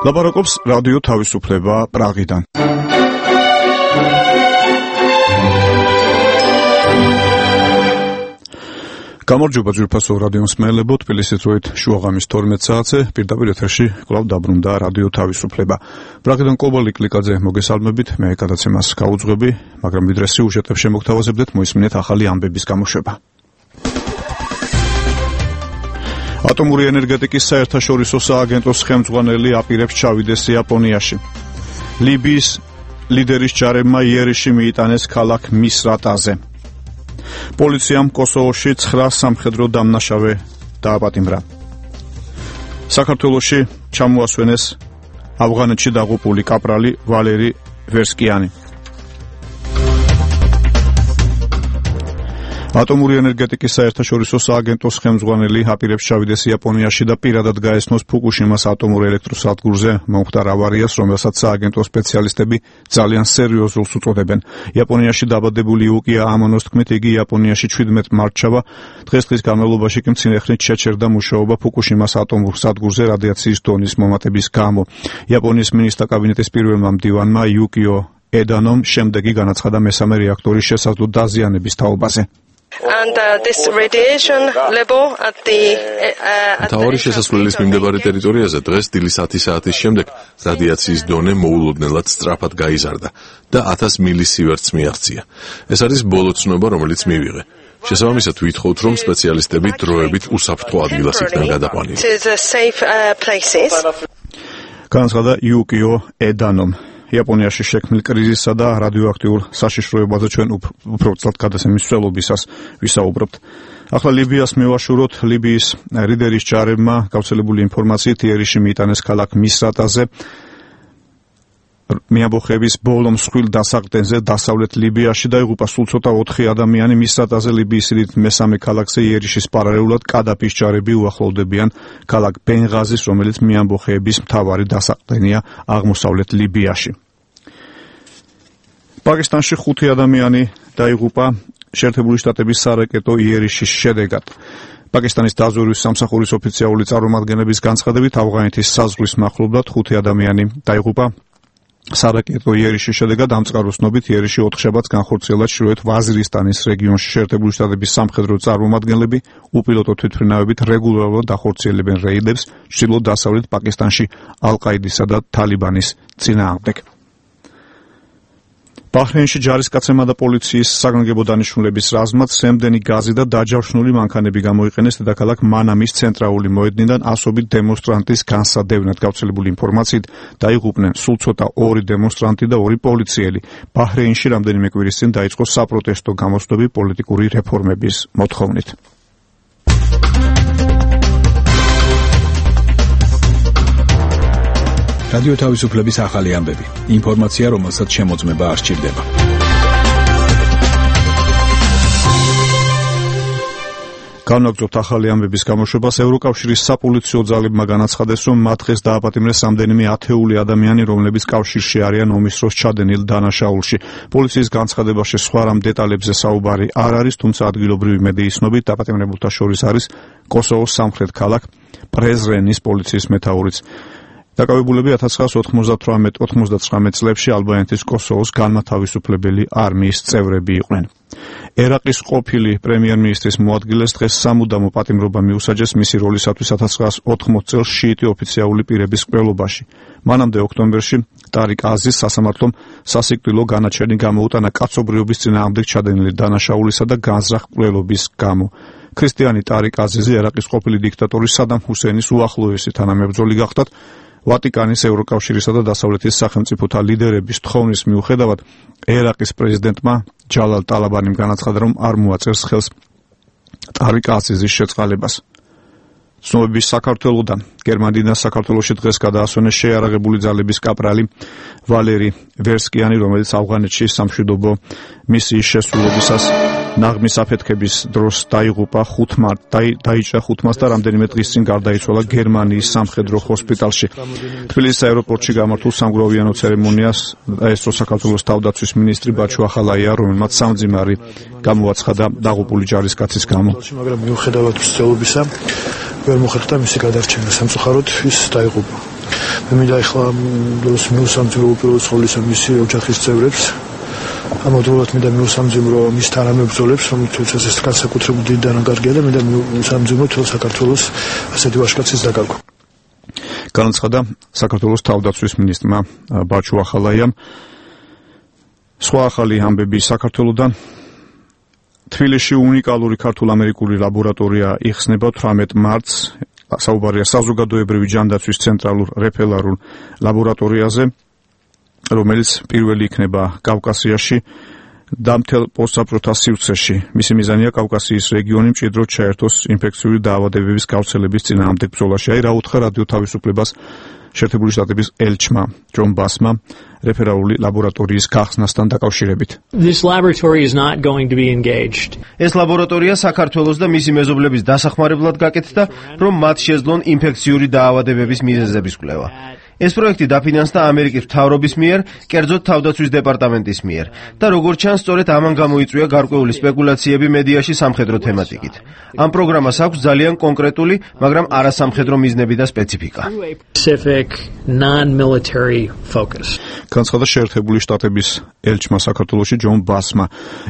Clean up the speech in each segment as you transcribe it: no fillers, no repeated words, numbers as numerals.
ლაპარაკობს რადიო თავისუფლება პრაღიდან. გამარჯობა ძვირფასო რადიო მსმენელებო, თბილისის დროით შუაღამის 12 საათზე პირდაპირ ეთერში კვლავ დაბრუნდა რადიო თავისუფლება. პრაღიდან კობალი კლიკაძე მოგესალმებით, მე გადაცემას გაუძღვები, მაგრამ ვიდრე სიუჟეტებს შემოგთავაზებდეთ, მოისმინეთ ახალი ამბების გამოშვება. ატომური ენერგეტიკის საერთაშორისო სააგენტოს ხელმძღვანელი აპირებს ჩავიდეს იაპონიაში. ლიბიის ლიდერის ჯარებმა იერიში მიიტანეს ქალაქ მისრატაზე. პოლიციამ კოსოვოში 9 სამხედრო დამნაშავე დააპატიმრა. საქართველოში ჩამოასვენეს ავღანეთში დაღუპული კაპრალი ვალერი ვერსკიანი. ატომური ენერგეტიკის საერთაშორისო სააგენტოს ხელმძღვანელი აპირებს ჩავიდეს იაპონიაში და პირადად გაესწროს ფუკუშიმას ატომურ ელექტროსადგურზე მომხდარ ავარიას, რომელსაც სააგენტოს სპეციალისტები ძალიან სერიოზულს უწოდებენ. იაპონიაში დაბადებული იუკია ამონოს თქმით, იგი იაპონიაში 17 მარტშავა დღესდღის განმავლობაში კი მცირეხნით შეჩერდა მუშაობა ფუკუშიმას ატომურ სადგურზე რადიაციის დონის მომატების გამო. იაპონიის მინისტრთა კაბინეტის პირველმა მდივანმა იუკიო ედანომ შემდეგი განაცხადა მესამე რეაქტორის შესაძლო დაზიანების თაობაზე. And this radiation level at the თავარი შესასვლელის მიმდებარე ტერიტორიაზე დღეს დილის 10 საათის შემდეგ რადიაციის დონე მოულოდნელად სწრაფად გაიზარდა და 1000 მილისივერტს მიაღწია. ეს არის ბოლო ცნობა, რომელიც მივიღე. შესაბამისად ვითხოვთ, რომ სპეციალისტები დროებით უსაფრთხო ადგილას იქნან გადაყვანილი. განაცხადა იუკიო ედანომ. იაპონიაში შექმნილ კრიზისსა და რადიოაქტიურ საშიშროებაზე ჩვენ უბრალოდ გადაცემის მსვლელობისას ვისაუბრებთ. ახლა ლიბიას მევაშუროთ. ლიბიის ლიდერის ჯარებმა გავრცელებული ინფორმაციით იერიში მიიტანეს ქალაქ მისრატაზე. მიამბოხების ბოლო მსხვილ დასაყრდენზე დასავლეთ ლიბიაში დაიღუპა სულ ცოტა 4 ადამიანი. მისრატაზე ლიბიის სიდიდით მესამე ქალაქზე იერიშის პარალელურად კადაფის ჯარები უახლოვდებიან ქალაქ ბენღაზის, რომელიც მიამბოხების მთავარი დასაყრდენია აღმოსავლეთ ლიბიაში. პაკისტანში 5 ადამიანი დაიღუპა შეერთებული შტატების სარაკეტო იერიშის შედეგად. პაკისტანის დაზვერვის სამსახურის ოფიციალური წარმომადგენლების განცხადებით, ავღანეთის საზღვრის მახლობლად 5 ადამიანი დაიღუპა სარაკეტო იერიშის შედეგად. ამ წყაროს ცნობით იერიში 4 შაბათს განხორციელდა ჩრდილოეთ ვაზირისტანის რეგიონში. შეერთებული შტატების სამხედრო წარმომადგენლები უპილოტო თვითმფრინავებით რეგულარულად ახორციელებენ რეიდებს ჩრდილო-დასავლეთ პაკისტანში ალ-ყაიდისა და თალიბანის წინააღმდეგ. ბაჰრეინში ჯარისკაცებმა და პოლიციის საგანგებო დანიშნულების რაზმად სემდენი გაზი და დაჯავშნული მანქანები გამოიყენეს დედაქალაქ მანამის ცენტრალური მოედნიდან ასობით დემონსტრანტის განსადევნად. გავრცელებული ინფორმაციით დაიღუპნენ სულ ცოტა 2 დემონსტრანტი და 2 პოლიციელი. ბაჰრეინში რამდენიმე კვირის წინ დაიწყო საპროტესტო გამოსვლები პოლიტიკური რეფორმების მოთხოვნით. რადიო თავისუფლების ახალი ამბები. ინფორმაცია, რომელსაც შემოწმება არ სჭირდება. განვაგრძობთ ახალი ამბების გამოშვებას. ევროკავშირის საპოლიციო ძალებმა განაცხადეს, რომ მათ დღეს დააპატიმრეს რამდენიმე ათეული ადამიანი, რომლებიც კავშირში არიან ომის დროს ჩადენილ დანაშაულში. პოლიციის განცხადებაში სხვა რამ დეტალებზე საუბარი არ არის, თუმცა ადგილობრივი მედიის ცნობით დაპატიმრებულთა შორის არის კოსოვოს სამხრეთ ქალაქ პრეზრენის პოლიციის მეთაურიც. დაკავებულები 1998-99 წლებში ალბანეთის კოსოვოს განმათავისუფლებელი არმიის წევრები იყვნენ. ერაყის ყოფილი პრემიერ-მინისტრის მოადგილეს დღეს სამუდამო პატიმრობა მიუსაჯეს მისი როლისათვის 1980 წელს შიიტი ოფიციალური პირების მკვლელობაში. მანამდე ოქტომბერში ტარიკ აზიზს სასამართლომ სასიკვდილო განაჩენი გამოუტანა კაცობრიობის წინააღმდეგ ჩადენილი დანაშაულისა და განზრახ მკვლელობის გამო. ქრისტიანი ტარიკ აზიზი ერაყის ყოფილი დიქტატორი სადამ ჰუსეინის უახლოესი თანამებრძოლი გახდათ. ვატიკანის, ევროკავშირისა და დასავლეთის სახელმწიფოთა ლიდერების თხოვნის მიუხედავად ერაყის პრეზიდენტმა ჯალალ ტალაბანიმ განაცხადა, რომ არ მოაწერს ხელს ტარიკ აზიზის შეწყალებას. ცნობების საქართველოდან გერმანიიდან საქართველოში დღეს გადაასვენეს შეიარაღებული ძალების კაპრალი ვალერი ვერსკიანი, რომელიც ავღანეთში სამშვიდობო მისიის შესრულებისას ნაღმის აფეთქების დროს დაიღუპა 5 დაიჭრა 5 მას და რამდენიმე დღის წინ გარდაიცვალა გერმანიის სამხედრო ჰოსპიტალში. თბილისის აეროპორტში გამართულ სამგროვიანო ცერემონიას დაესწრო საქართველოს თავდაცვის მინისტრი ბაჩუ ახალაია, რომელმაც სამძიმარი გამოაცხადა დაღუპული ჯარისკაცის გამო. მაგრამ მიუხედავად მსწავლობისა ვერ მოხერხდა მისი გადარჩენა, სამწუხაროდ ის დაიღუპა. მინდა ახლა მიუსამძიმრო უპირველეს ყოვლისა მისი ოჯახის წევრებს. ამავდროულად მინდა მიუსამძიმრო მის თანამებრძოლებს, რომელთაც ეს განსაკუთრებული დიდი დანაკარგია და მინდა მიუსამძიმრო თელ საქართველოს ასეთი ვაჟკაცის დაკარგვა. განაცხადა საქართველოს თავდაცვის მინისტრმა ბაჩუ ახალაიამ. სხვა ახალი ამბები საქართველოდან. თბილისში უნიკალური ქართულ-ამერიკული ლაბორატორია იხსნება 18 მარტს. საუბარია საზოგადოებრივი ჯანდაცვის ცენტრალურ რეფერალურ ლაბორატორიაზე, რომელიც პირველი იქნება კავკასიაში და მთელ პოსტსაბჭოთა სივრცეში. მისი მიზანია კავკასიის რეგიონი მჭიდროდ ჩაერთოს ინფექციური დაავადებების გავრცელების წინააღმდეგ ბრძოლაში. აი რა უთხრა რადიო თავისუფლებას შეერთებული შტატების ელჩმა ჯონ ბასმა რეფერალური ლაბორატორიის გახსნასთან დაკავშირებით. This laboratory is not going to be engaged. ეს ლაბორატორია საქართველოს და მისი მეზობლების დასახმარებლად გაკეთდა, რომ მათ შეძლონ ინფექციური დაავადებების მიზეზების კვლევა. ეს პროექტი დაფინანსდა ამერიკის მთავრობის მიერ, კერძოდ თავდაცვის დეპარტამენტის მიერ და როგორც ჩანს, სწორედ ამან გამოიწვია გარკვეული სპეკულაციები მედიაში სამხედრო თემატიკით. ამ პროგრამას აქვს ძალიან კონკრეტული, მაგრამ არასამხედრო მიზნები და სპეციფიკა. Specific non-military focus. განაცხადა შეერთებული შტატების ელჩმა საქართველოში ჯონ ბასმა.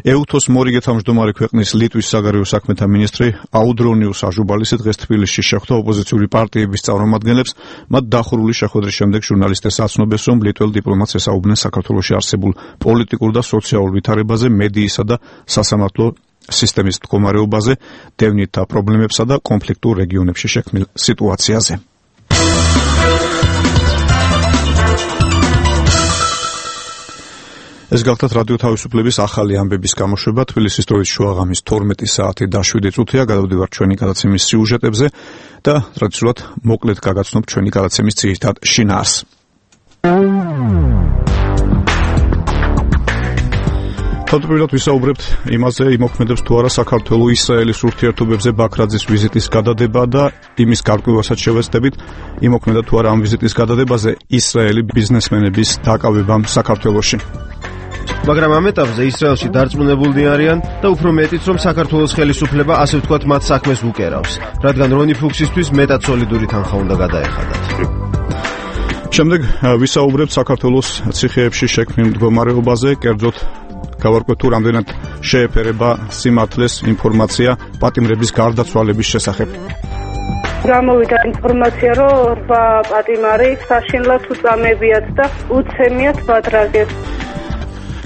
ეუთოს მორიგე თავმჯდომარე ქვეყნის ლიტვის საგარეო საქმეთა მინისტრი აუდრონიუს აჟუბალისი დღეს თბილისში შეხვდა ოპოზიციური პარტიების წარმომადგენლებს, მათ დახურული შეხვედრის შემდეგ ჟურნალისტებს აცნობეს, რომ ლიტველ დიპლომატს ესაუბნენ საქართველოში არსებულ პოლიტიკურ და სოციალურ ვითარებაზე, მედიისა და სასამართლო სისტემის მდგომარეობაზე, დევნითა პრობლემებსა და კონფლიქტურ რეგიონებში შექმნილ სიტუაციაზე. ეს გახლდათ რადიო თავისუფლების ახალი ამბების გამოშვება. თბილისის დროით შუაღამის 12 საათი და 7 წუთია. გადავდივართ ჩვენი გადაცემის სიუჟეტებზე და ტრადიციულად მოკლედ გაგაცნობ ჩვენი გადაცემის ძირითად შინაარსს. თავდაპირველად ვისაუბრებთ იმაზე, იმოქმედებს თუ არა საქართველოს ისრაელის ურთიერთობებზე ბაქრაძის ვიზიტის გადადება და იმის გარკვევასაც შევეცდებით, იმოქმედა თუ არა ამ ვიზიტის გადადებაზე ისრაელი ბიზნესმენების დაკავებამ საქართველოში. მაგრამ ამ ეტაპზე ისრაელში დარწმუნებულნი არიან და უფრო მეტიც, რომ საქართველოს ხელისუფლება ასე ვთქვათ მათ საქმეს უკერავს, რადგან რონი ფუქსისთვის მეტად სოლიდური თანხა უნდა გადაეხადათ. შემდეგ ვისაუბრებთ საქართველოს ციხეებში შექმნილ მდგომარეობაზე, კერძოდ გავარკვევთ თუ რამდენად შეეფერება სიმართლეს ინფორმაცია პატიმრების გარდაცვალების შესახებ. გამოვიდა ინფორმაცია, რომ 8 პატიმარი საშინლად უწამებიათ და უცემიათ ბადრაგეს.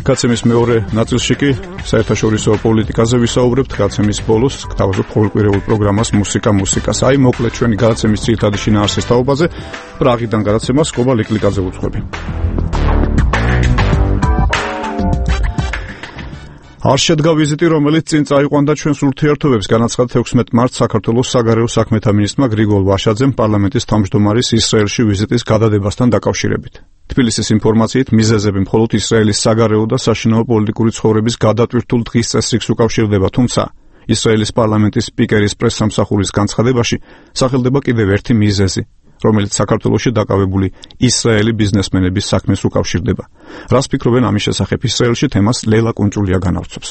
გაცემის მეორე ნაწილში კი საერთაშორისო პოლიტიკაზე ვისაუბრებთ. გაცემის ბოლოს გთავაზობ ყოველკვირეულ პროგრამას მუსიკას. აი მოკლედ ჩვენი გადაცემის ძირითადი შინაარსის თაობაზე პრაღიდან გადაცემას კობა ლიკლიკაძე უძღვები. არ შედგა ვიზიტი, რომელიც წინ წაიყვანდა ჩვენს ურთიერთობებს, განაცხადა 16 მარტს საქართველოს საგარეო საქმეთა მინისტრმა გრიგოლ ვაშაძემ პარლამენტის თავმჯდომარის ისრაელში ვიზიტის გადადებასთან დაკავშირებით. თბილისის ინფორმაციით მიზეზები მხოლოდ ისრაელის საგარეო და საშინაო პოლიტიკური ცხოვრების გადატვირთულ დღის წესრიგს უკავშირდება, თუმცა ისრაელის პარლამენტის სპიკერის პრესსამსახურის განცხადებაში სახელდება კიდევ ერთი მიზეზი, რომელიც საქართველოში დაკავებული ისრაელი ბიზნესმენების საქმეს უკავშირდება. რას ფიქრობენ ამის შესახებ ისრაელში, თემას ლელა კუნჭულია განავრცობს.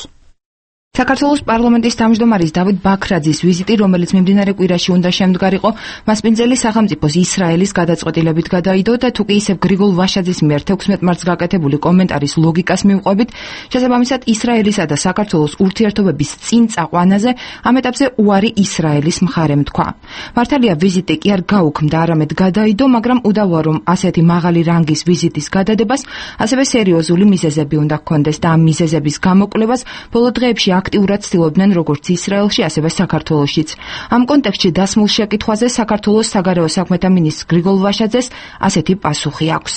საქართველოს პარლამენტის თავმჯდომარის დავით ბაქრაძის ვიზიტი, რომელიც მიმდინარე კვირაში უნდა შემდგარიყო, მასპინძელი სახელმწიფოს ისრაელის გადაწყვეტილებით გადაიდო და თუ კი ისევ გრიგოლ ვაშაძის მიერ 16 მარტს გაკეთებული კომენტარის ლოგიკას მივყვებით, შესაბამისად ისრაელისა და საქართველოს ურთიერთობების წინ წაყვანაზე ამ ეტაპზე უარი ისრაელის მხარემ თქვა. მართალია ვიზიტი კი არ გაუქმდა, არამედ გადაიდო, მაგრამ უდავოა, რომ ასეთი მაღალი რანგის ვიზიტის გადადებას ასევე სერიოზული მიზეზები უნდა ჰქონდეს და ამ მიზეზების გამოკვლევას ბოლო დღეებში აქტიურად ცდილობდნენ როგორც ისრაელში, ასევე საქართველოშიც. ამ კონტექსტში დასმულ შეკითხვაზე საქართველოს საგარეო საქმეთა მინისტრ გრიგოლ ვაშაძეს ასეთი პასუხი აქვს.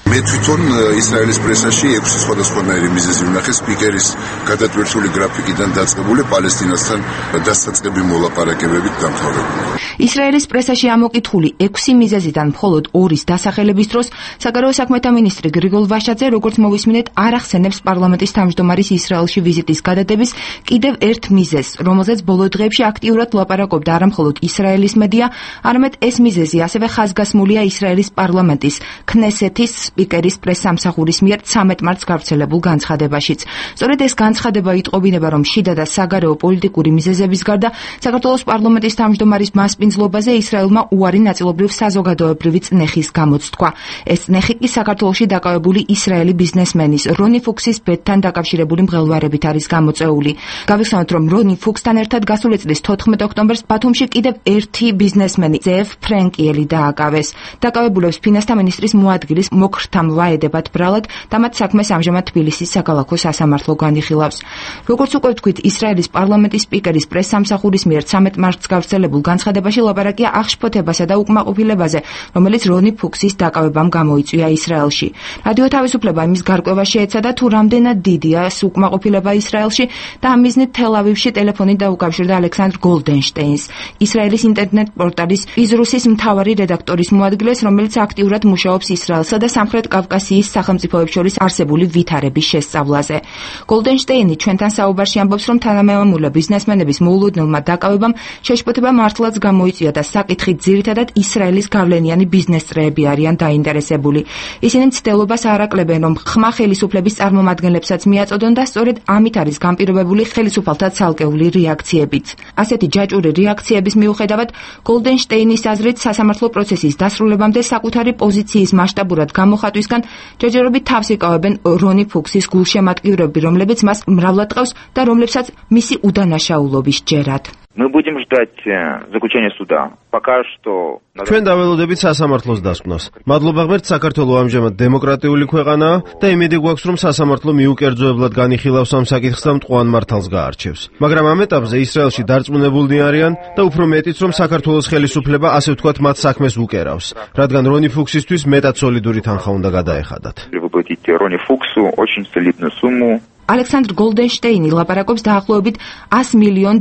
მე თვითონ ისრაელის პრესაში 6 სხვადასხვანაირი მიზეზი ვნახე სპიკერის გადატვირთული გრაფიკიდან დაწყებული პალესტინასთან დასაწყები მოლაპარაკებებით დამთავრებული. ისრაელის პრესაში ამოკითხული 6 მიზეზიდან მხოლოდ 2-ის დასახელების დროს საგარეო საქმეთა მინისტრი გრიგოლ ვაშაძე, როგორც მოვისმინეთ, არ ახსენებს პარლამენტის თავმჯდომარის ისრაელში ვიზიტის გადადების კიდევ ერთ მიზეზს, რომელზეც ბოლო დღეებში აქტიურად ლაპარაკობდა არა მხოლოდ ისრაელის მედია, არამედ ეს მიზეზი ასევე ხაზგასმულია ისრაელის პარლამენტის, ქნესეთის სპიკერის პრესსამსახურის მიერ 13 მარტს გავრცელებულ განცხადებაშიც. სწორედ ეს განცხადება იტყობინება, რომ შიდა და საგარეო პოლიტიკური მიზეზების გარდა საქართველოს პარლამენტის თავმჯდომარის მასპინძლობაზე ისრაელმა უარი ნაწილობრივ საზოგადოებრივი წნეხის გამოცთქვა. ეს წნეხი კი საქართველოში დაკავებული ისრაელი ბიზნესმენის რონი ფუქსის ბედთან დაკავშირებული მღელვარებით არის გამოწვეული. გავიხსენოთ, რომ რონი ფუქსთან ერთად გასული წლის 14 ოქტომბერს ბათუმში კიდევ ერთი ბიზნესმენი ზეევ ფრენკიელი დააკავეს. დაკავებულებს ფინანსთა მინისტრის მოადგილის მოქრთამლა ედებათ ბრალად და მათ საქმეს ამჟამად თბილისის საქალაქო სასამართლო განიხილავს. როგორც უკვე ვთქვით, ისრაელის პარლამენტის სპიკერის პრესსამსახურის მიერ 13 მარტს გავრცელებულ განცხადებაში ლაპარაკია აღშფოთებასა და უკმაყოფილებაზე, რომელიც რონი ფუქსის დაკავებამ გამოიწვია ისრაელში. რადიო თავისუფლება იმის გარკვევა შეეცადა, თუ რამდენად დიდია ეს უკმაყოფილება ისრაელში და ამ მიზნით თელ-ავივში ტელეფონით დაუკავშირდა ალექსანდრ გოლდენშტეინს, ისრაელის ინტერნეტ პორტალის იზრუსის მთავარი რედაქტორის მოადგილეს, რომელიც აქტიურად მუშაობს ისრაელსა და სამხრეთ კავკასიის სახელმწიფოებს შორის არსებული ვითარების შესწავლაზე. გოლდენშტეინი ჩვენთან საუბარში ამბობს, რომ თანამემამულე ბიზნესმენების მოულოდნელმა დაკავებამ შეშფოთება მართლაც გამოიწვია და საკითხით ძირითადად ისრაელის გავლენიანი ბიზნეს წრეები არიან დაინტერესებული. ისინი მცდელობას არაკლებენ, რომ ხმა ხელისუფლების წარმომადგენლებსაც მიაწოდონ და სწორედ ამით არის განპირობებული ხელისუფალთა ცალკეული რეაქციებიც. ასეთი ჯაჭვური რეაქციების მიუხედავად, გოლდენშტეინის აზრით სასამართლო პროცესის დასრულებამდე საკუთარი პოზიციის მასშტაბურად გამოხატვისგან ჯერჯერობით თავს იკავებენ რონი ფუქსის გულშემატკივრები, რომლებიც მას მრავლად ტყავს და რომლებსაც მისი უდანაშაულობის ჯერად. Мы будем ждать заключения суда. Пока что ჩვენ დაველოდებით სასამართლოს დასკვნას. მადლობა ღმერთს, საქართველო ამჟამად დემოკრატიული ქვეყანაა და იმედი გვაქვს, რომ სასამართლო მიუკერძოებლად განიხილავს ამ საკითხს და მტყუან მართალს გაარჩევს. მაგრამ ამ ეტაპზე ისრაელში დარწმუნებულნი არიან და უფრო მეტიც, რომ საქართველოს ხელისუფლება ასე ვთქვათ მათ საქმეს უკერავს, რადგან რონი ფუქსისთვის მეტად სოლიდური თანხა უნდა გადაეხადათ. Рони Фуксу очень солидную сумму. ალექსანდრ გოლდენშტეინი ლაპარაკობს დაახლოებით $100 მილიონ,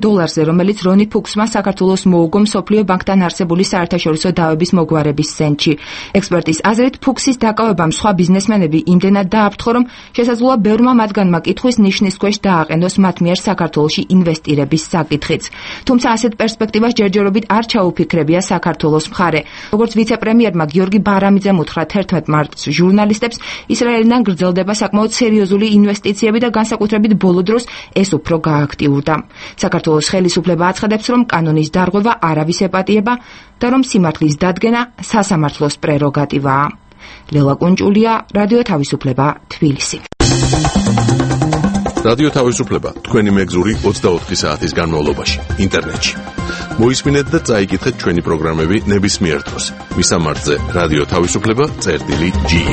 რომელიც რონი ფუქსმა საქართველოს მოუგო მსოფლიო ბანკთან არსებული საერთაშორისო დავების მოგვარების ცენტრში. ექსპერტის აზრით, ფუქსის დაკავებამ სხვა ბიზნესმენები იმდენად დააფრთხო, რომ შესაძლოა ბევრმა მათგანმა კითხვის ნიშნის ქვეშ დააყენოს მათ მიერ საქართველოში ინვესტირების საკითხიც. თუმცა ასეთ პერსპექტივას ჯერჯერობით არ ჩაუფიქრებია საქართველოს მხარე. როგორც ვიცე-პრემიერმა გიორგი ბარამიძემ უთხრა 11 მარტს ჟურნალისტებს, ისრაელიდან გრძელდება საკმაოდ სერიოზული ინვესტიციები და განსაკუთრებით ბოლო დროს ეს უფრო გააქტიურდა. საქართველოს ხელისუფლება აცხადებს, რომ კანონის დარღვევა არავის ეპატიება და რომ სიმართლის დადგენა სასამართლოს პრეროგატივაა. ლელა კუნჭულია, რადიო თავისუფლება, თბილისი. რადიო თავისუფლება თქვენი მეგზური 24 საათის განმავლობაში ინტერნეტში. მოისმინეთ და წაიკითხეთ ჩვენი პროგრამები ნებისმიერ დროს. მისამართზე რადიო თავისუფლება.ge.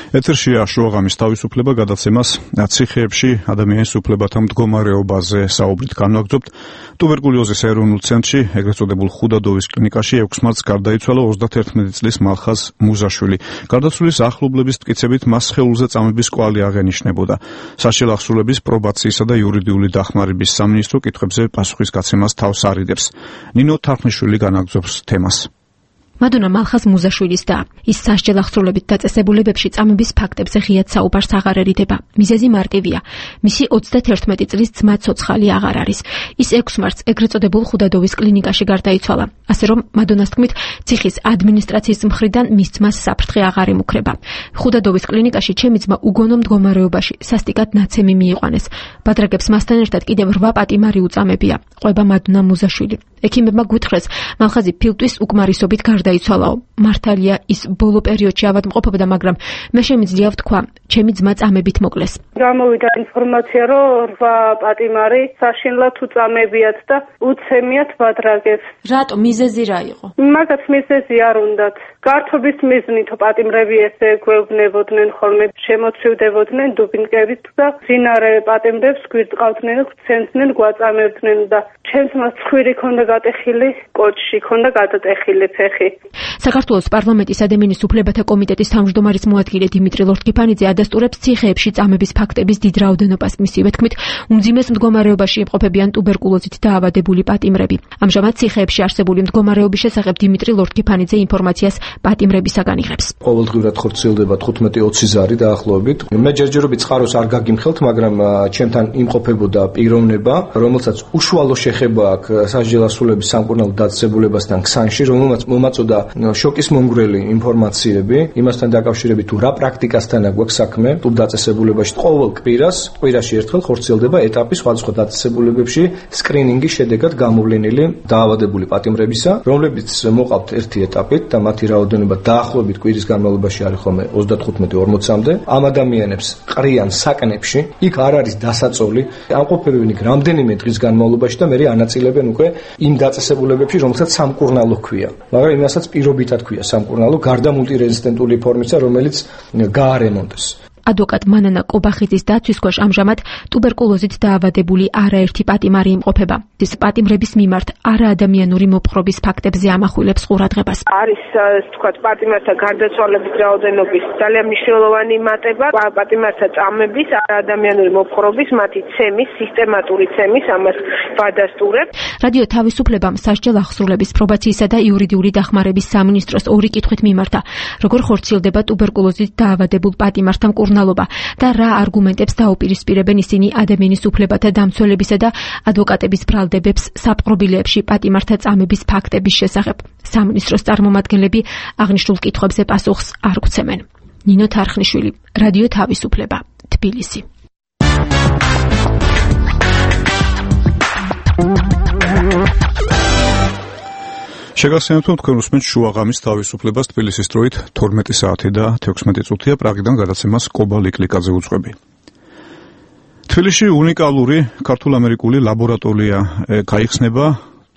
ეთერშია შუაღამის თავისუფლება, გადაცემას ციხეებში ადამიანის უფლებათა მდგომარეობაზე საუბრით განვაგრძობთ. ტუბერკულოზის ეროვნულ ცენტრში, ეგრეთ წოდებულ ხუდადოვის კლინიკაში 6 მარტს გარდაიცვალა 31 წლის მალხაზ მუზაშვილი. გარდაცვლილის ახლობლების მტკიცებით მას სხეულზე წამების კვალი აღენიშნებოდა. საშიელ აღსრულების პრობაციისა და იურიდიული დახმარების სამინისტრო კითხვებზე პასუხის გაცემას თავს არიდებს. ნინო თარხნიშვილი განაგრძობს თემას. მადონა მალხაზ მუზაშვილის და ის სასჯელ აღსრულებით დაწესებულებებში წამების ფაქტებზე ღიად საუბარს აღარ ერიდება. მიზეზი მარტივია. მისი 31 წლის ძმა ცოცხალი აღარ არის. ის 6 მარტს ეგრეთ წოდებულ ხუდადოვის კლინიკაში გარდაიცვალა. ასე რომ მადონას თქმით, ციხის ადმინისტრაციის მხრიდან მის ძმას საფრთხე აღარ ემუქრება. ხუდადოვის კლინიკაში ჩემი ძმა უგონო მდგომარეობაში სასტიკად ნაცემი მიიყვანეს. ბადრაგებს მასთან ერთად კიდევ 8 პატიმარი უწამებია. ყვება მადონა მუზაშვილი. ექიმებმა გვითხრეს, მალხაზი ფილტვის უკმარისობით გარდაიცვალაო. მართალია ის ბოლო პერიოდში ავადმყოფობდა, მაგრამ მე შემიძლია ვთქვა, ჩემი ძმა წამებით მოკლეს. გამოვიდა ინფორმაცია, რომ 8 პატიმარი საშინლად უწამებიათ და უცემიათ ბადრაგებს. რატო მიზეზი რა იყო? მაგათ მიზეზი არ უნდათ. გართობის მიზნით პატიმრები ესე გვეუბნებოდნენ ხოლმე, შემოცივდებოდნენ დუბინკებით და ძინარე პატიმრებს გვირწყავდნენ, გვცემდნენ, გვაწამებდნენ და ჩემს მას ცხვირი ქონდა გატეხილი კოჭში, ქონდა გადატეხილი ფეხი. საქართველოს პარლამენტის ადამიანის უფლებათა კომიტეტის თავმჯდომარის მოადგილე დიმიტრი ლორთქიფანიძე ადასტურებს ციხეებში წამების ფაქტების დიდ რაოდენობას. მისივე თქმით, უმძიმეს მდგომარეობაში იმყოფებიან ტუბერკულოზით დაავადებული პატიმრები. ამჟამად ციხეებში არსებული მდგომარეობის შესახებ დიმიტრი ლორთქიფანიძე ინფორმაციას პატიმრებისაგან იღებს. ყოველდღიურად ხორციელდება 15-20 ზარი დაახლოებით. მე ჯერჯერობით წყაროს არ გაგიმხელთ, მაგრამ ჩემთან იმყოფებოდა პიროვნება, რომელსაც უშუალო შეხება აქვს სასჯელ ასრულების სამკურნალო დაწესებულებასთან ქსანში, რომელმაც მომაწოდა იწვევდა შოკის მომგვრელი ინფორმაციები, იმასთან დაკავშირებით თუ რა პრაქტიკასთან აქვს საქმე, თუ დაწესებულებაში ყოველ კვირაში ერთხელ ხორციელდება ეტაპი სხვადასხვა დაწესებულებებში სკრინინგის შედეგად გამოვლენილი დაავადებული პატიმრებისა, რომლებიც მოყავთ ერთი ეტაპით და მათი რაოდენობა დაახლოებით კვირის განმავლობაში არის ხოლმე 35-40-მდე. ამ ადამიანებს ყრიან საკნებში, იქ არ არის დასაწოლი, ამყოფებენ იქ რამდენიმე დღის განმავლობაში და მერე ანაწილებენ უკვე იმ დაწესებულებებში, რომელსაც სამკურნალო ჰქვია. მაგრამ იმასაც პირობითად ჰქვია სამკურნალო, გარდა მულტირეზისტენტული ფორმისა, რომელიც გაარემონტეს. ადვოკატ მანანა კობახიძის დაცვის ქვეშ ამჟამად ტუბერკულოზით დაავადებული არაერთი პატიმარი იმყოფება. ის პატიმრების მიმართ არაადამიანური მოპყრობის ფაქტებზე ამახვილებს ყურადღებას. არის თქვა პატიმართა გარდაცვალების რაოდენობის ძალიან მნიშვნელოვანი მატება, პატიმართა წამების, არაადამიანური მოპყრობის, მათი ცემის, სისტემატური ცემის ამას ვადასტურებთ. რადიო თავისუფლებამ სასჯელ აღსრულების პრობაციისა და იურიდიული დახმარების სამინისტროს ორი კითხვით მიმართა, როგორ ხორციელდება ტუბერკულოზით დაავადებულ პატიმართა მკურნალობა და რა არგუმენტებს დაუპირისპირებენ ისინი ადამიანის უფლებათა დამცველებისა და ადვოკატების ბრალდებებს საპყრობილეებში პატიმართა წამების ფაქტების შესახებ. სამინისტროს წარმომადგენლები აღნიშნულ კითხვებზე პასუხს არ გვცემენ. ნინო თარხნიშვილი, რადიო თავისუფლება, თბილისი. შეგახსენებთ, რომ თქვენ უსმენთ შუაღამის თავისუფლებას თბილისის დროით 12 საათი და 16 წუთია. პრაღიდან გადაცემას კობა ლიკლიკაძე უძღვები. თბილისში უნიკალური ქართულ-ამერიკული ლაბორატორია გაიხსნება,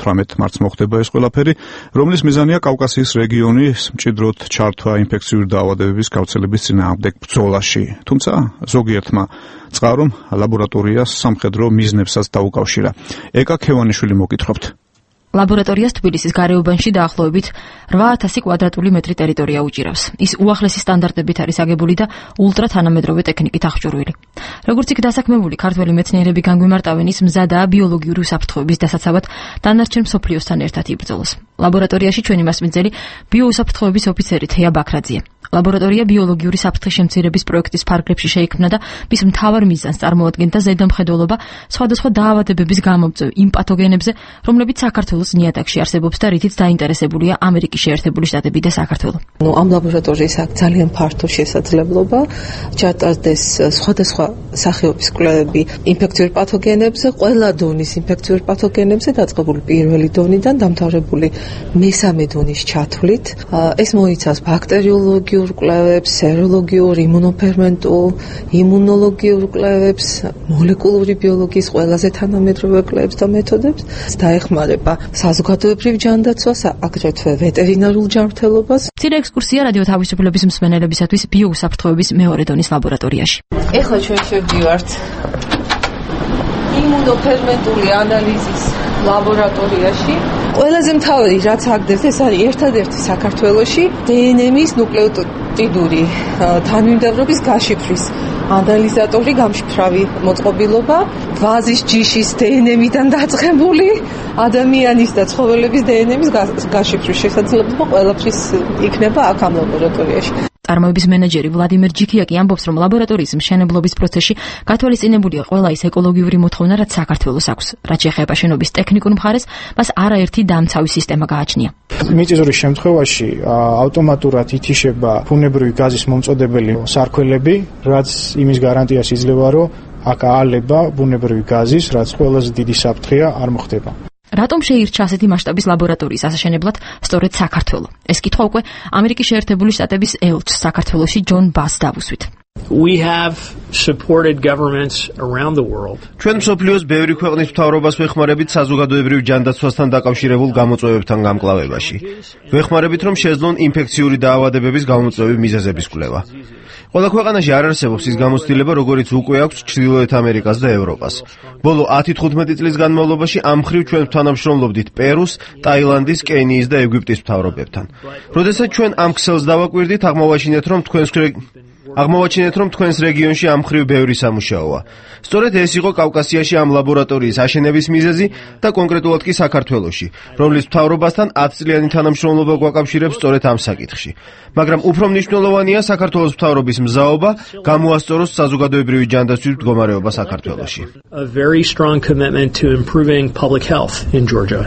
18 მარტს მოხდება ეს ყველაფერი, რომლის მიზანია კავკასიის რეგიონის მჭიდროდ ჩართვა ინფექციური დაავადებების გავრცელების წინააღმდეგ ბრძოლაში. თუმცა ზოგიერთმა წყარომ ლაბორატორიას სამხედრო მიზნებსაც დაუკავშირა. ეკა ქევანიშვილი მოგკითხავთ. ლაბორატორიას თბილისის გარეუბანში დაახლოებით 8000 კვადრატული მეტრი ტერიტორია უჭირავს. ის უახლესი სტანდარტებით არის აგებული და ულტრათანამედროვე ტექნიკით აღჭურვილი. როგორც იქ დასაქმებული ქართველი მეცნიერები განგვიმარტავენ, ის მზადაა ბიოლოგიური უსაფრთხოების დასაცავად დანარჩენ მსოფლიოსთან ერთად იბრძოლოს. ლაბორატორიაში ჩვენი მასპინძელი ბიოუსაფრთხოების ოფიცერი თეა ბაქრაძია. ლაბორატორია ბიოლოგიური საფრთხის შემცირების პროექტის ფარგლებში შეიქმნა და მის მთავარ მიზანს წარმოადგენდა ზედამხედველობა სხვადასხვა დაავადებების გამომწვევ იმ პათოგენებზე, რომლებიც საქართველოს ნიადაგში არსებობს და რითიც დაინტერესებულია ამერიკის შეერთებული შტატები და საქართველო. ამ ლაბორატორიის აქვს ძალიან ფართო შესაძლებლობა ჩატარდეს სხვადასხვა სახეობის კვლევები ინფექციურ პათოგენებზე, ყველა დონის ინფექციურ პათოგენებზე, დაწყებული პირველი დონიდან დამთავრებული მესამე დონის ჩათვლით. ეს მოიცავს ბაქტერიოლოგიურ კვლევებს, სეროლოგიურ, იმუნოფერმენტულ, იმუნოლოგიურ კვლევებს, მოლეკულური ბიოლოგიის ყველაზე თანამედროვე კვლევებს და მეთოდებს. დაეხმარება საზოგადოებრივ ჯანდაცვას, აგრეთვე ვეტერინარულ ჯანმრთელობას. მცირე ექსკურსია რადიო თავისუფლების მსმენელებისათვის ბიოუსაფრთხოების მეორე დონის ლაბორატორიაში. ეხლა ჩვენ შევდივართ იმუნოფერმენტული ანალიზის ლაბორატორიაში. ყველაზე მთავარი რაც აგდეს, ეს არის ერთადერთი საქართველოში დნმ-ის ნუკლეოტიდური თანმიმდევრობის გაშიფვრის ანალიზატორი, გამშიფრავი მოწყობილობა, ვაზის ჯიშის დნმ-დან დაწყებული ადამიანის და ცხოველების დნმ-ის გაშიფვრის შესაძლებლობა ყველაფრის იქნება აქ ამ ლაბორატორიაში. წარმოების მენეჯერი ვლადიმერ ჯიქიაკი ამბობს, რომ ლაბორატორიის მშენებლობის პროცესში გათვალისწინებულია ყველა ის ეკოლოგიური მოთხოვნა, რაც საქართველოს აქვს. რაც შეეხება შენობის ტექნიკურ მხარეს, მას არაერთი დამცავი სისტემა გააჩნია. მიწისძვრის შემთხვევაში ავტომატურად ითიშება ბუნებრივი გაზის მომწოდებელი სარქველები, რაც იმის გარანტიას იძლევა, რომ აქ აალება ბუნებრივი გაზის, რაც ყველაზე დიდი საფრთხეა, არ მოხდება. რატომ შეირჩა ასეთი მასშტაბის ლაბორატორიის ასაშენებლად სწორედ საქართველო? ეს კითხვა უკვე ამერიკის შეერთებული შტატების ელჩს საქართველოში ჯონ ბას დავუსვით. We have supported governments around the world. ჩვენ მსოფლიოს ბევრი ქვეყნის მთავრობას ვეხმარებით საზოგადოებრივ ჯანდაცვასთან დაკავშირებულ გამოწვევებთან გამკლავებაში. ვეხმარებით, რომ შეძლონ ინფექციური დაავადებების გამომწვევი მიზეზების კვლევა. ყველა ქვეყანაში არ არსებობს ის გამოცდილება, როგორიც უკვე აქვს ჩრდილოეთ ამერიკას და ევროპას. ბოლო 10-15 წლის განმავლობაში ამ მხრივ ჩვენ თანამშრომლობდით პერუს, ტაილანდის, კენიის და ეგვიპტის მთავრობებთან. როდესაც ჩვენ ამ ქსელს დავაკვირდით, აღმოვაჩინეთ, რომ თქვენს რეგიონში ამ მხრივ ბევრი სამუშაოა. სწორედ ეს იყო კავკასიაში ამ ლაბორატორიის აშენების მიზეზი და კონკრეტულად კი საქართველოში, რომლის მთავრობასთან 10 წლიანი თანამშრომლობა გვაკავშირებს სწორედ ამ საკითხში. მაგრამ უფრო მნიშვნელოვანია საქართველოს მთავრობის მზაობა გამოასწოროს საზოგადოებრივი ჯანდაცვის მდგომარეობა საქართველოში. A very strong commitment to improving public health in Georgia.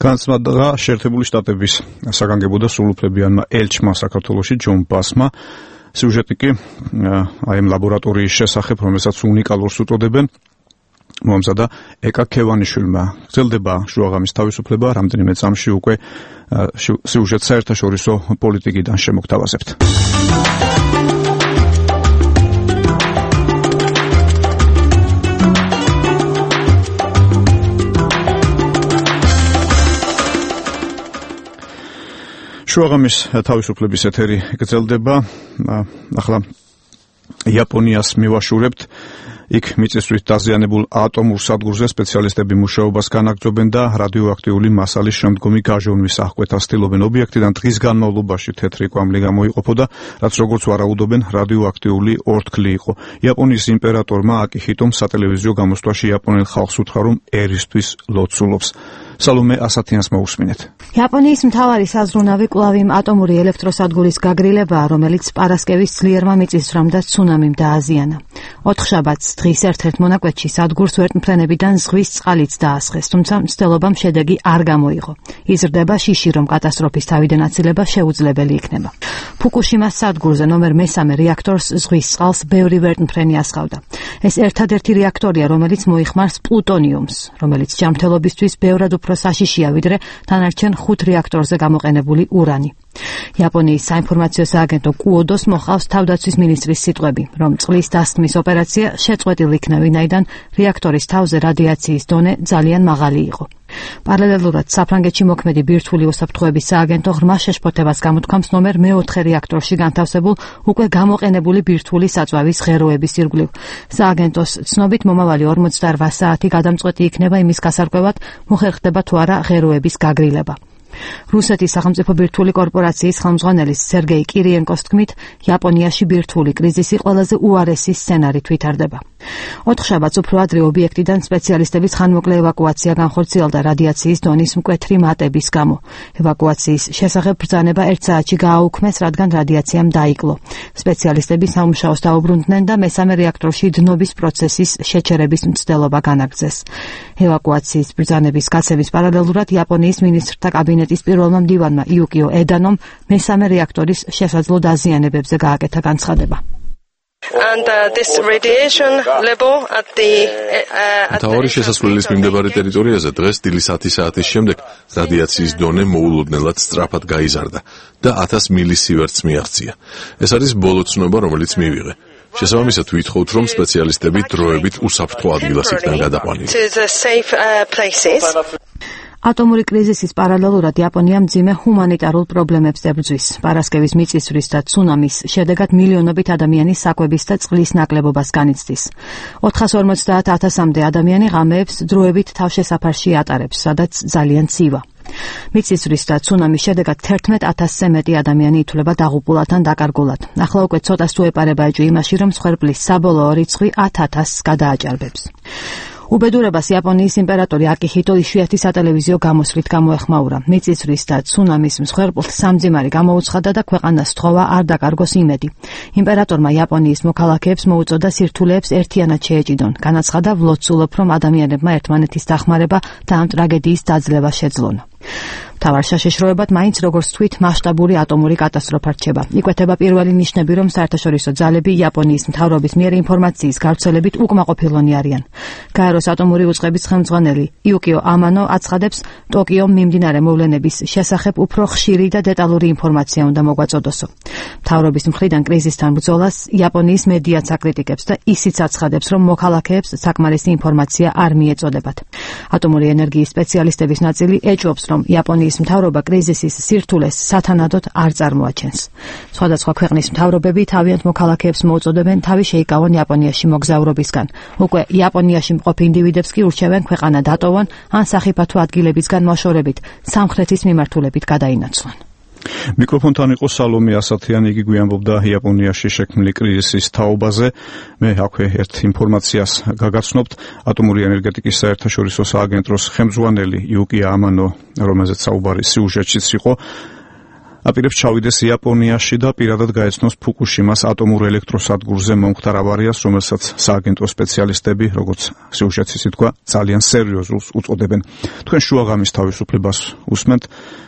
განსხვავდა შეერთებული შტატების საგანგებო და სრულუფლებიანმა ელჩმა საქართველოში ჯონ ბასმა სიუჟეტი კი აი ამ ლაბორატორიის შესახებ, რომელსაც უნიკალურს უწოდებენ, მომზადა ეკა ქევანიშვილმა. გრძელდება შუაღამის თავისუფლება, რამდენიმე წამში უკვე სიუჟეტს საერთაშორისო პოლიტიკიდან შემოგთავაზებთ. შუაღამის თავისუფლების ეთერი გრძელდება. ახლა იაპონიას მივაშურებთ. იქ მიწისძვრით დაზიანებულ ატომურ სადგურზე სპეციალისტები მუშაობას განაგრძობენ და რადიოაქტიული მასალის შემდგომი გაჟონვის აღკვეთას ცდილობენ. ობიექტიდან დღის განმავლობაში თეთრი კვამლი გამოიყოფოდა, რაც როგორც ვარაუდობენ, რადიოაქტიული ორთქლი იყო. იაპონიის იმპერატორმა აკიჰიტომ სატელევიზიო გამოსვლაში იაპონელ ხალხს უთხრა, რომ ერისთვის ლოცულობს. სალომე ასათიანს მოусმინეთ. იაპონიის მთავარი საზრუნავი კვლავ იმ ატომური ელექტროსადგურის გაგრილებაა, რომელიც პარასკევის ძლიერმა მიწისძვრამ და ცუნამიმ დააზიანა. 4 შაბათს დღის ერთ-ერთ მონაკვეთში სადგურს ვერტმფრენებიდან ზღვის წყალიც დაასხეს, თუმცა მცდელობამ შედეგი არ გამოიღო. იზრდება შიში, რომ კატასტროფის თავიდან აცილება შეუძლებელი იქნება. ფუკუშიმას სადგურზე ნომერ 3 რეაქტორს ზღვის წყალს ბევრი ვერტმფრენი ასხავდა. ეს ერთადერთი რეაქტორია, რომელიც მოიხმარს პლუტონიუმს, რომელიც ჯანმრთელობისთვის ბევრად უფრო საშიშია, ვიდრე დანარჩენ 5 რეაქტორზე გამოყენებული ურანი. იაპონიის საინფორმაციო სააგენტო კუოდოს მოხავს თავდაცვის მინისტრის სიტყვები, რომ წყლის დასხმის ოპერაცია შეწყვეტილ იქნა, ვინაიდან რეაქტორის თავზე რადიაციის დონე ძალიან მაღალი იყო. პარალელურად საფრანგეთში მოქმედი ბირთვული უსაფრთხოების სააგენტო ღრმა შეშფოთებას გამოთქვამს ნომერ 4 რეაქტორში განთავსებულ უკვე გამოყენებული ბირთვული საწვავის ღეროების ირგვლივ. სააგენტოს ცნობით მომავალი 48 საათი გადამწყვეტი იქნება იმის გასარკვევად, მოხერხდება თუ არა ღეროების გაგრილება. რუსეთის სახელმწიფო ბირთვული კორპორაციის ხელმძღვანელის სერგეი კირიენკოს თქმით, იაპონიაში ბირთვული კრიზისი ყველაზე უარესი სცენარით ვითარდება. 4 შაბათს უფრო ადრე ობიექტიდან სპეციალისტების ხანმოკლე ევაკუაცია განხორციელდა რადიაციის დონის მკვეთრი მატების გამო. ევაკუაციის შესახებ ბრძანება 1 საათში გააუქმეს, რადგან რადიაციამ დაიკლო. სპეციალისტები სამუშაოს დაუბრუნდნენ და მესამე რეაქტორში დნობის პროცესის შეჩერების მცდელობა განაგრძეს. ევაკუაციის ბრძანების გაცემის პარალელურად იაპონიის მინისტრთა კაბინეტის პირველმა მდივანმა იუკიო ედანომ მესამე რეაქტორის შესაძლო დაზიანებებზე გააკეთა განცხადება. And this radiation level at the მთავარი შესასვლელის მიმდებარე ტერიტორიაზე დღეს დილის 10 საათის შემდეგ რადიაციის დონე მოულოდნელად სწრაფად გაიზარდა და 1000 მილისივერტს მიაღწია. ეს არის ბოლო ცნობა, რომელიც მივიღე. შესაბამისად ვითხოვთ, რომ სპეციალისტები დროებით უსაფრთხო ადგილას იქნან გადაყვანილი. ატომური კრიზისის პარალელურად იაპონია მძიმე ჰუმანიტარულ პრობლემებს ებრძვის. პარასკევის მიწისძვრის და ცუნამის შედეგად მილიონობით ადამიანი საკვების და წყლის ნაკლებობას განიცდის. 450,000-მდე ადამიანი ღამეებს დროებით თავშესაფარში ატარებს, სადაც ძალიან ცივა. მიწისძვრის და ცუნამის შედეგად 11,000-ზე მეტი ადამიანი ითვლება დაღუპულად ან დაკარგულად. ახლა უკვე ცოტას თუ ეპარება ეჭვი იმაში, რომ მსხვერპლის საბოლოო რიცხვი 10,000-ს გადააჭარბებს. უბედურებას იაპონიის იმპერატორი აკიჰიტო იშვიათი სატელევიზიო გამოსვლით გამოეხმაურა. მიწისძვრის და ცუნამის მსხვერპლს სამძიმარი გამოუცხადა და ქვეყანას სთხოვა არ დაკარგოს იმედი. იმპერატორმა იაპონიის მოქალაქეებს მოუწოდა სირთულეებს ერთიანად შეეჭიდონ. განაცხადა, ვლოცულობ, რომ ადამიანებმა ერთმანეთის დახმარება და ამ ტრაგედიის დაძლევა შეძლონ. მთავარ საშიშროებად მაინც როგორც თქვით მასშტაბური ატომური კატასტროფა რჩება. იკვეთება პირველი ნიშნები, რომ საერთაშორისო ძალები იაპონიის მთავრობის მიერ ინფორმაციის გავრცელებით უკმაყოფილონი არიან. გაეროს ატომური უწყების ხელმძღვანელი იუკიო ამანო აცხადებს, ტოკიომ მიმდინარე მოვლენების შესახებ უფრო ხშირი და დეტალური ინფორმაცია უნდა მოგვაწოდოსო. მთავრობის მხრიდან კრიზისთან ბრძოლას იაპონიის მედიაც აკრიტიკებს და ისიც აცხადებს, რომ მოქალაქეებს საკმარისი ინფორმაცია არ მიეწოდებათ. ატომური ენერგიის სპეციალისტების ნაწილი ეჭვობს, რომ იაპონიის მთავრობა კრიზისის სირთულეს სათანადოდ არ წარმოაჩენს. სხვადასხვა ქვეყნის მთავრობები თავიანთ მოქალაქეებს მოუწოდებენ თავი შეიკავონ იაპონიაში მოგზაურობისგან. უკვე იაპონიაში მყოფ ინდივიდებს კი ურჩევენ ქვეყანა დატოვონ ან სახიფათო ადგილებისგან მოშორებით სამხრეთის მიმართულებით გადაინაცვლონ. მიკროფონთან იყო სალომე ასათიანი, იგი გვიამბობდა იაპონიაში შექმნილი კრიზისის თაობაზე. მე აქვე ერთ ინფორმაციას გაგაცნობთ. ატომური ენერგეტიკის საერთაშორისო სააგენტოს ხელმძღვანელი იუკიო ამანო, რომელზეც საუბარი სიუჟეტშიც იყო, აპირებს ჩავიდეს იაპონიაში და პირადად გაეცნოს ფუკუშიმას ატომურ ელექტროსადგურზე მომხდარ ავარიას, რომელსაც სააგენტო სპეციალისტები, როგორც სიუჟეტს ითქვა, ძალიან სერიოზულს უწოდებენ. თქვენ შუაღამის თავისუფლებას უსმენთ.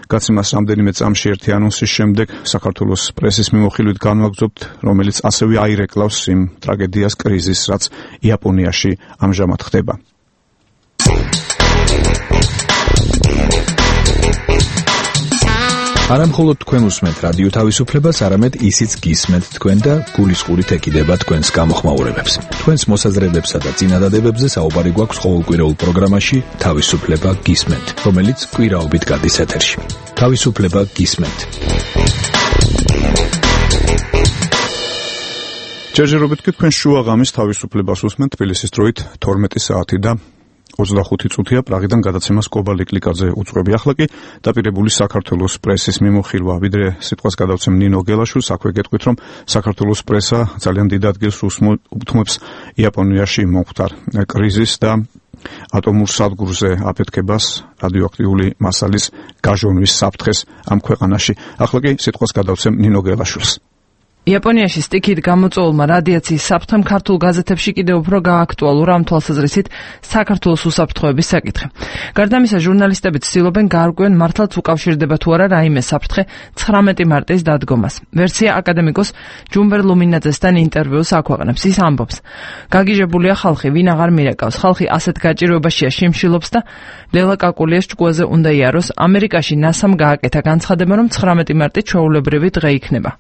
გაცემას რამდენიმე წამში ერთი ანონსის შემდეგ საქართველოს პრესის მიმოხილვით განვაგრძობთ, რომელიც ასევე აირეკლავს იმ ტრაგედიას, კრიზისს, რაც იაპონიაში ამჟამად ხდება. არა მხოლოდ თქვენ უსმენთ რადიო თავისუფლებას, არამედ ისიც გისმენთ თქვენ და გულისყურით ეკიდება თქვენს გამოხმაურებებს. თქვენს მოსაზრებებსა და წინადადებებზე საუბარი გვაქვს ყოველკვირეულ პროგრამაში თავისუფლება გისმენთ, რომელიც კვირაობით გადის ეთერში. თავისუფლება გისმენთ. ჯერჯერობით კი თქვენ შუაღამის თავისუფლებას უსმენთ, თბილისის დროით 12 საათი და 25 წუთია. პრაღიდან გადაცემას კობა ლიკლიკაძე უძღვები. ახლა კი დაპირებული საქართველოს პრესის მიმოხილვა. ვიდრე სიტყვას გადავცემ ნინო გელაშვილს, აქვე გეტყვით, რომ საქართველოს პრესა ძალიან დიდ ადგილს უთმობს იაპონიაში მომხდარ კრიზისს და ატომურ სადგურზე აფეთქებას, რადიოაქტიული მასალის გაჟონვის საფრთხეს ამ ქვეყანაში. ახლა კი სიტყვას გადავცემ ნინო გელაშვილს. იაპონიაში სტიქით გამოწვეულმა რადიაციის საფრთხემ ქართულ გაზეთებში კიდევ უფრო გააქტუალურა ამ თვალსაზრისით საქართველოს უსაფრთხოების საკითხი. გარდა ამისა, ჟურნალისტები ცდილობენ გაარკვიონ მართლაც უკავშირდება თუ არა რაიმე საფრთხე 19 მარტის დადგომას. ვერსია აკადემიკოს ჯუმბერ ლუმინაძესთან ინტერვიუს აქვეყნებს. ის ამბობს: გაგიჟებულია ხალხი, ვინ აღარ მირეკავს. ხალხი ასეთ გაჭირვებაშია, შიმშილობს და ლელა კაკულიას ჭკუაზე უნდა იაროს. ამერიკაში ნასამ გააკეთა განცხადება, რომ 19 მარტი ჩვეულებრივი დღე იქნება.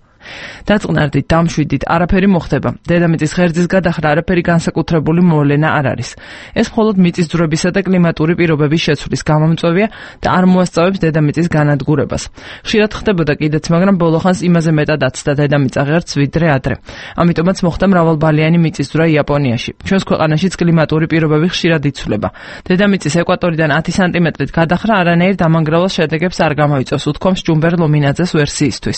დაწყნარდით, დამშვიდით, არაფერი მოხდება. დედამიწის ღერძის გადახრა არაფერი განსაკუთრებული მოვლენა არ არის. ეს მხოლოდ მიწისძვრებისა და კლიმატური პირობების შეცვლის გამომწვევია და არ მოასწავებს დედამიწის განადგურებას. ხშირად ხდებოდა კიდეც, მაგრამ ბოლოხანს იმაზე მეტად აცდა დედამიწა ღერძს ვიდრე ადრე. ამიტომაც მოხდა მრავალბალიანი მიწისძვრა იაპონიაში. ჩვენს ქვეყანაშიც კლიმატური პირობები ხშირად იცვლება. დედამიწის ეკვატორიდან 10 სანტიმეტრით გადახრა არანაირ დამანგრავალ შედეგებს არ გამოიწვევს, უთქვამს ჯუმბერ ლუმინაძეს ვერსიისთვის.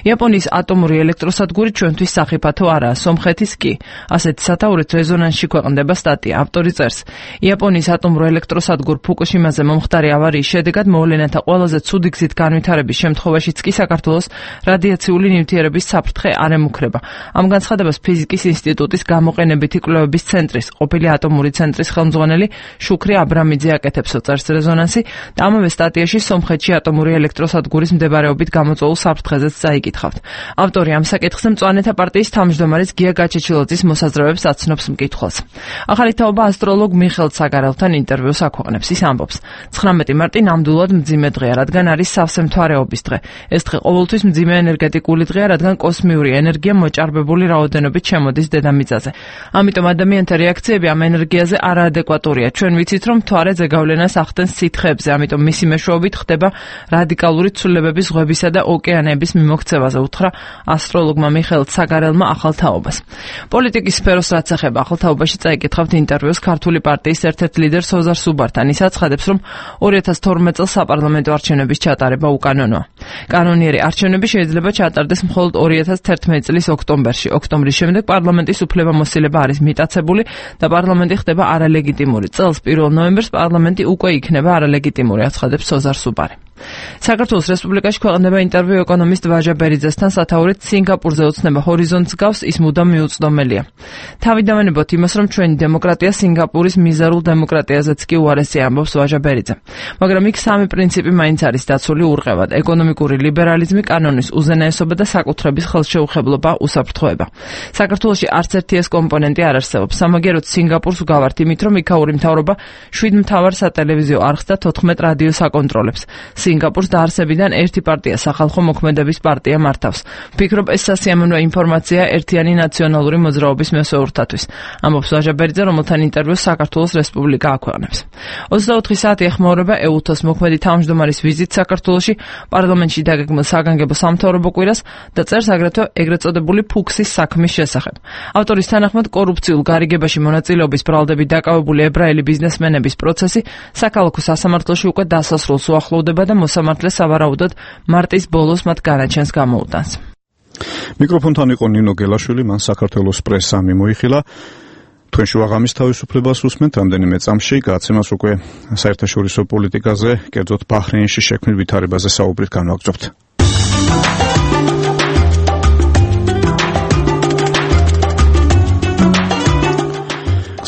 იაპონიის ატომური ელექტროსადგური ჩვენთვის სახიფათო არაა, სომხეთის კი. ასეთი სათაურით რეზონანსში ქვეყნდება სტატია. ავტორი წერს: იაპონიის ატომურ ელექტროსადგურ ფუკუშიმაზე მომხდარი ავარიის შედეგად მოვლენათა ყველაზე ცუდი გზით განვითარების შემთხვევაშიც კი საქართველოს რადიაციული ნივთიერების საფრთხე არ ემუქრება. ამ განცხადებას ფიზიკის ინსტიტუტის გამოყენებითი კვლევების ცენტრის, ყოფილი ატომური ცენტრის ხელმძღვანელი შუქრი აბრამიძე აკეთებსო, წერს რეზონანსი და ამავე სტატიაში სომხეთში ატომური ელექტროსადგურის მდებარეობით გამოწვეულ საფრთხეზეც წაიკითხავთ. ავტორი ამ საკითხზე მწვანეთა პარტიის თავმჯდომარის გია გაჩეჩილაძის მოსაზრებებს აცნობს მკითხველს. ახალი თაობა ასტროლოგ მიხელ ცაგარელთან ინტერვიუს აქვეყნებს. ის ამბობს: 19 მარტი ნამდვილად მძიმე დღეა, რადგან არის სავსე მთვარეობის დღე. ეს დღე ყოველთვის მძიმე ენერგეტიკული დღეა, რადგან კოსმიური ენერგია მოჭარბებული რაოდენობით შემოდის დედამიწაზე. ამიტომ ადამიანთა რეაქციები ამ ენერგიაზე არაადეკვატურია. ჩვენ ვიცით, რომ მთვარე ზეგავლენას ახდენს სითხეებზე, ამიტომ მისი მეშვეობით ხდება რადიკალური ცვლილებების ზღვებისა და ოკეანეების მიმოქცევაზე, უთხრა ასტროლოგმა მიხელ ცაგარელმა ახალ თაობას. პოლიტიკის სფეროს რაც ეხება, ახალ თაობაში წაიკითხავთ ინტერვიუს ქართული პარტიის ერთ-ერთ ლიდერს ოზარ სუბართან. ის აცხადებს, რომ 2012 წელს საპარლამენტო არჩევნების ჩატარება უკანონოა. კანონიერი არჩევნები შეიძლება ჩატარდეს მხოლოდ 2011 წლის ოქტომბერში. ოქტომბრის შემდეგ პარლამენტის უფლებამოსილება არის მიტაცებული და პარლამენტი ხდება არალეგიტიმური. წელს 1 ნოემბერს პარლამენტი უკვე იქნება არალეგიტიმური, აცხადებს ოზარ სუბარი. საქართველოს რესპუბლიკაში ქვეყნდება ინტერვიუ ეკონომისტ ვაჟა ბერიძესთან სათაურით სინგაპურზე ოცნება ჰორიზონტს გავს, ის მუდამ მიუწვდომელია. თავიდანვენებოთ იმას, რომ ჩვენი დემოკრატია სინგაპურის მიზერულ დემოკრატიაზეც კი უარესია, ამბობს ვაჟა ბერიძე. მაგრამ იქ სამი პრინციპი მაინც არის დაცული ურყევად: ეკონომიკური ლიბერალიზმი, კანონის უზენაესობა და საკუთრების ხელშეუხებლობა, უსაფრთხოება. საქართველოში არც ერთი ეს კომპონენტი არ არსებობს. სამაგეროთ სინგაპურს ვგავართ იმით, რომ იქაური მთავრობა 7 მთავარ სატელევიზიო არხს და 14 რადიოს აკონტროლებს. სინგაპურს დაარსებიდან ერთი პარტია, სახალხო მოქმედების პარტია მართავს. ვფიქრობ, ეს სასიამოვნო ინფორმაცია ერთიანი ნაციონალური მოძრაობის მესვეურთათვის. ამბობს ვაჟა ბერიძე, რომელთან ინტერვიუს საქართველოს რესპუბლიკა აქვეყნებს. 24 საათი ეხმაურება EUTOS მოქმედი თავმჯდომარის ვიზიტ საქართველოში, პარლამენტში დაგეგმილ საგანგებო სამთავრობო კვირას და წერს აგრეთვე ეგრეთ წოდებული ფუქსის საქმის შესახებ. ავტორის თანახმად, კორუფციულ გარიგებაში მონაწილეობის ბრალდებით დაკავებული ებრაელი ბიზნესმენების პროცესი საქალაქო სასამართლოში უკვე დასასრულს უახლოვდება და მოსამართლე სავარაუდოდ მარტის ბოლოს მათ განაჩენს გამოუტანს. მიკროფონთან იყო ნინო გელაშვილი, მან საქართველოს პრესა მიმოიხილა. თქვენ შუაღამის თავისუფლებას უსმენთ, რამდენიმე წამში გააცემას უკვე საერთაშორისო პოლიტიკაზე, კერძოდ ბაჰრეინში შექმნილ ვითარებაზე საუბრით განვაგრძობთ.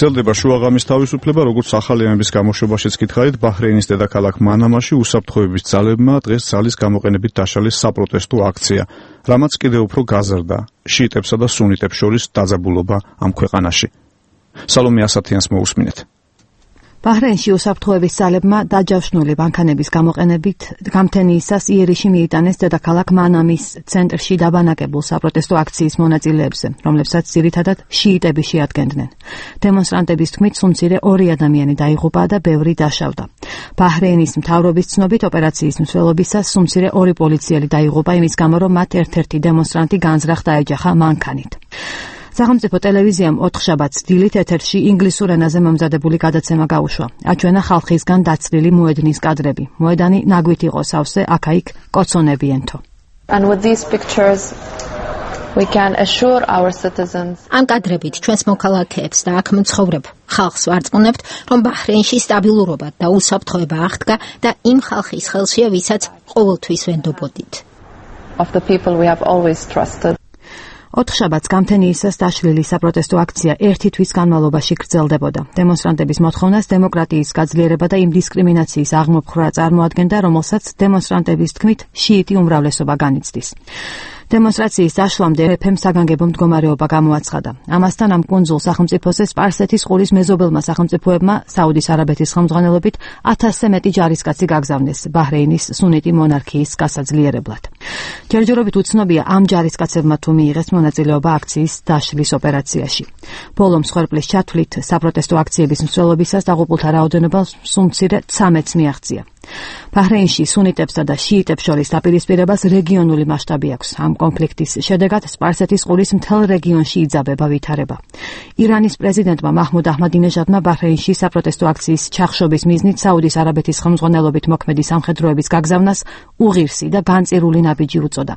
გრძელდება შუაღამის თავისუფლება, როგორც ახალი ამების გამოშვებაშიც გითხარით, ბაჰრეინის დედაქალაქ მანამაში უსაფრთხოების ძალებმა დღეს ძალის გამოყენებით დაშალეს საპროტესტო აქცია, რამაც კიდევ უფრო გაზარდა შიიტებსა და სუნიტებს შორის დაძაბულობა ამ ქვეყანაში. სალომე ასათიანს მოусმინეთ. ბაჰრეინში უსაფრთხოების ძალებმა დაჯავშნული მანქანების გამოყენებით გამთენიისას იერიში მიიტანეს დედაქალაქ მანამის ცენტრში დაბანაკებულ საპროტესტო აქციის მონაწილეებზე, რომლებსაც ძირითადად შიიტები შეადგენდნენ. დემონსტრანტების თქმით, სულ მცირე 2 ადამიანი დაიღუპა და ბევრი დაშავდა. ბაჰრეინის მთავრობის ცნობით, ოპერაციის მსვლელობისას სულ მცირე 2 პოლიციელი დაიღუპა იმის გამო, რომ მათ ერთ-ერთი დემონსტრანტი განზრახ დაეჯახა მანქანით. სახელმწიფო ტელევიზიამ 4 შაბათს დილით ეთერში ინგლისურ ენაზე მომზადებული გადაცემა გაუშვა. აჩვენა ხალხისგან დაცლილი მოედნის კადრები. მოედანი ნაგვით იყო სავსე, აქა-იქ კოცონები ენთო. And with these pictures we can assure our citizens. ამ კადრებით ჩვენს მოქალაქეებს და აქ მცხოვრებ ხალხს ვარწმუნებთ, რომ ბაჰრეინში სტაბილურობა და უსაფრთხოება აღდგა და იმ ხალხის ხელშია, ვისაც ყოველთვის ვენდობოდით. Of the people we have always trusted. 4 შაბათს გამთენიისას დაშლილი საპროტესტო აქცია 1 თვის განმავლობაში გრძელდებოდა. დემონსტრანტების მოთხოვნას დემოკრატიის გაძლიერება და იმ დისკრიმინაციის აღმოფხვრა წარმოადგენდა, რომელსაც დემონსტრანტების თქმით შიიტი უმრავლესობა განიცდის. დემონსტრაციის დაშლამდე მეფემ საგანგებო მდგომარეობა გამოაცხადა. ამასთან ამ კუნძულ სახელმწიფოზე სპარსეთის ყურის მეზობელმა სახელმწიფოებმა საუდის არაბეთის ხელმძღვანელობით 1000-ზე მეტი ჯარისკაცი გაგზავნეს ბაჰრეინის სუნიტი მონარქიის გასაძლიერებლად. ჯერჯერობით უცნობია ამ ჯარისკაცებმა თუ მიიღეს მონაწილეობა აქციის დაშლის ოპერაციაში. ბოლო მსხვერპლის ჩათვლით საპროტესტო აქციების მსვლელობისას დაღუპულთა რაოდენობა სულ მცირე 13-ს მიაღწია. ბაჰრეინში სუნიტებსა და შიიტებს შორის დაპირისპირებას რეგიონული მასშტაბი აქვს. ამ კონფლიქტის შედეგად სპარსეთის ყურის მთელ რეგიონში იძაბება ვითარება. ირანის პრეზიდენტმა მაჰმუდ აჰმადინეჟადმა ბაჰრეინში საპროტესტო აქციის ჩახშობის მიზნით საუდის არაბეთის ხელმძღვანელობით მოქმედი სამხედროების გაგზავნას უღირსი და განწირული ნაბიჯი უწოდა.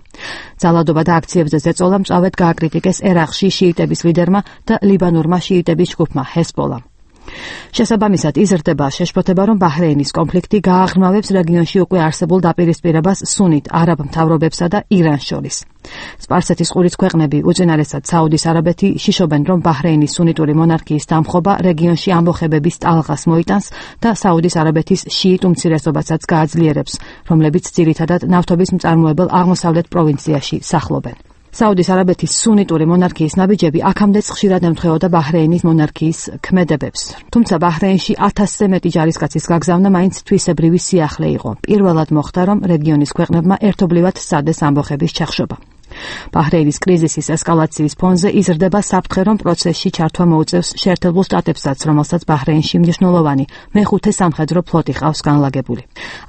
ძალადობა და აქციებზე ზეწოლა მწვავედ გააკრიტიკეს ერაყში შიიტების ლიდერმა და ლიბანურმა შიიტების ჯგუფმა ჰესბოლამ. შესაბამისად იზრდება შეშფოთება, რომ ბაჰრეინის კონფლიქტი გააღრმავებს რეგიონში უკვე არსებულ დაპირისპირებას სუნით არაბ მთავრობებსა და ირანს შორის. სპარსეთის ყურის ქვეყნები, უწინარესად საუდის არაბეთი, შიშობენ, რომ ბაჰრეინის სუნიტური მონარქიის დამხობა რეგიონში ამბოხებების ტალღას მოიტანს და საუდის არაბეთის შიიტ უმცირესობასაც გააძლიერებს, რომლებიც ძირითადად ნავთობის მწარმოებელ აღმოსავლეთ პროვინციაში სახლობენ. საუდის არაბეთის სუნიტური მონარქიის ნაბიჯები აქამდეც ხშირად ემთხვეოდა ბაჰრეინის მონარქიის ქმედებებს. თუმცა ბაჰრეინში 1000-ზე მეტი ჯარისკაცის გაგზავნა მაინც თვისებრივი სიახლე იყო. პირველად მოხდა, რომ რეგიონის ქვეყნებმა ერთობლივად სცადეს ამბოხების ჩახშობა. ბაჰრეინის კრიზისის ესკალაციის ფონზე იზრდება საფრთხე, რომ პროცესში ჩართვა მოუწევს შეერთებულ შტატებსაც, რომელსაც ბაჰრეინში მნიშვნელოვანი მეხუთე სამხედრო ფლოტი ყავს განლაგებული.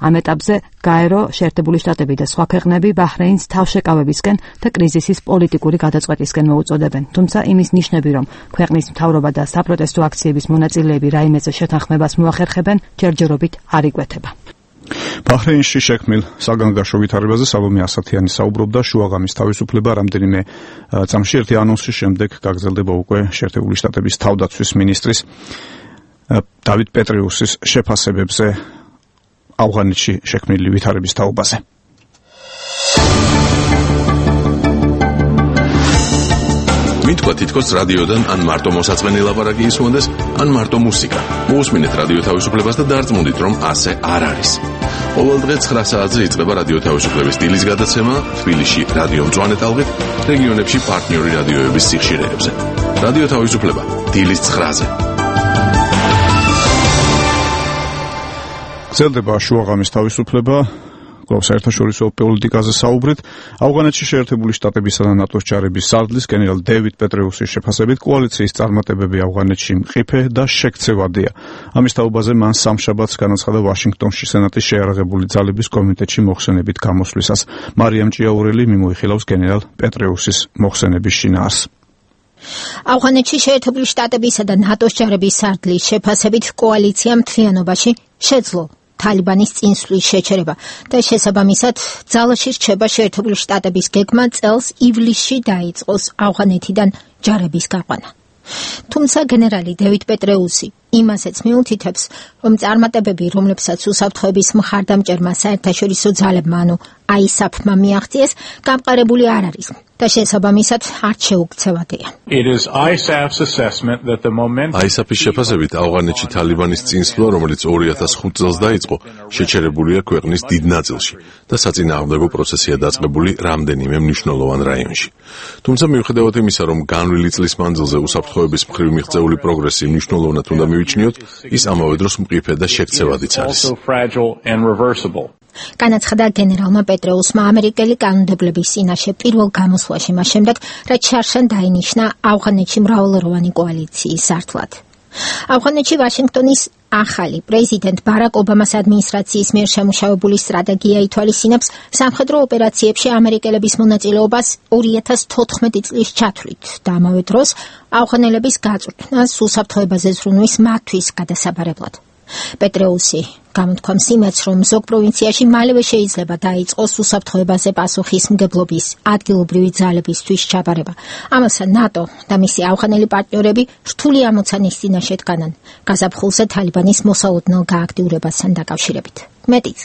ამ ეტაპზე გაერო, შეერთებული შტატები და სხვა ქვეყნები ბაჰრეინს თავშეკავებისკენ და კრიზისის პოლიტიკური გადაწყვეტისკენ მოუწოდებენ. თუმცა იმის ნიშნები, რომ ქვეყნის მთავრობა და საპროტესტო აქციების მონაწილეები რაიმეზე შეთანხმებას მოახერხებენ, ჯერჯერობით არ იკვეთება. ბაჰრეინში შექმნილ საგანგაშო ვითარებაზე სალომე ასათიანი საუბრობდა. შუაღამის თავისუფლება რამდენიმე წამში ერთი ანონსის შემდეგ გაგრძელდება უკვე შეერთებული შტატების თავდაცვის მინისტრის დავით პეტრიუსის შეფასებებზე ავღანეთში შექმნილი ვითარების თაობაზე. მითქვა თითქოს რადიოდან ან მარტო მოსაწყენი ლაპარაკი ისმოდეს, ან მარტო მუსიკა. მოусმინეთ რადიო თავისუფლებას და დარწმუნდით, რომ ასე არ არის. ყოველ დღე 9 საათზე იწყება რადიო თავისუფლების დილის გადაცემა თბილისში რადიო მწვანე ტალღით, რეგიონებში პარტნიორი რადიოების სიხშირეებზე. რადიო თავისუფლება დილის 9-ზე. გრძელდება შუაღამის თავისუფლება. საერთაშორისო პოლიტიკაზე საუბრით, ავღანეთში შეერთებული შტატებისა და ნატოს ჯარების სარდლის გენერალ დევიდ პეტრიუსის შეფასებით კოალიციის წარმატებები ავღანეთში მყიფე და შექცევადია. ამის თაობაზე მან სამშაბათს განაცხადა ვაშინგტონში სენატის შეიარაღებული ძალების კომიტეტში მოხსენებით გამოსვლისას. მარიამ ჭიაურელი მიმოიხილავს გენერალ პეტრიუსის მოხსენების შინაარს. ავღანეთში შეერთებული შტატებისა და ნატოს ჯარების სარდლის შეფასებით კოალიცია მთლიანობაში შეძლო თალიბანის წინსვლის შეჩერება და შესაბამისად ძალაში რჩება შეერთებული შტატების გეგმა წელს ივლისში დაიწყოს ავღანეთიდან ჯარების გაყვანა. თუმცა გენერალი დევიდ პეტრიუსი იმასაც მიუთითებს, რომ წარმატებები, რომლებსაც უსაფრთხოების მხარდამჭერმა საერთაშორისო ძალებმა, ანუ ISAF-მა მიაღწიეს, გამყარებული არ არის და შესაბამისად არც შეუქცევადია. ISAF-ის შეფასებით ავღანეთში თალიბანის წინსვლა, რომელიც 2005 წელს დაიწყო, შეჩერებულია ქვეყნის დიდ ნაწილში და საწინააღმდეგო პროცესია დაწყებული რამდენიმე მნიშვნელოვან რაიონში. თუმცა მიუხედავად იმისა, რომ განვლილი წლის მანძილზე უსაფრთხოების მხრივ მიღწეული პროგრესი მნიშვნელოვნად უნდა მივიჩნიოთ, ის ამავე დროს მყიფე და შექცევადიც არის. განაცხადა გენერალმა პეტრეუსმა ამერიკელი კანონმდებლობის წინაშე პირველ გამოსვლაში მას შემდეგ, რაც შარშან დაინიშნა ავღანეთში მრავალროვანი კოალიციის სართლად. ავღანეთში ვაშინგტონის ახალი პრეზიდენტ ბარაკ ობამას ადმინისტრაციის მიერ შემუშავებული სტრატეგია ითვალისწინებს სამხედრო ოპერაციებში ამერიკელების მონაწილეობას 2014 წლის ჩათვლით და ამავე დროს ავღანელების გაწვრთნას უსაფრთხოებაზე ზრუნვის მათთვის გადასაბარებლად. პეტრეუსი გამოთქვამს იმედს, რომ ზოგ პროვინციაში მალევე შეიძლება დაიწყოს უსაფრთხოებაზე პასუხისმგებლობის ადგილობრივი ძალებისთვის ჩაბარება. ამასთან ნატო და მისი ავღანელი პარტნიორები რთული ამოცანის წინაშე დგანან გაზაფხულზე თალიბანის მოსალოდნელ გააქტიურებასთან დაკავშირებით. მეტიც,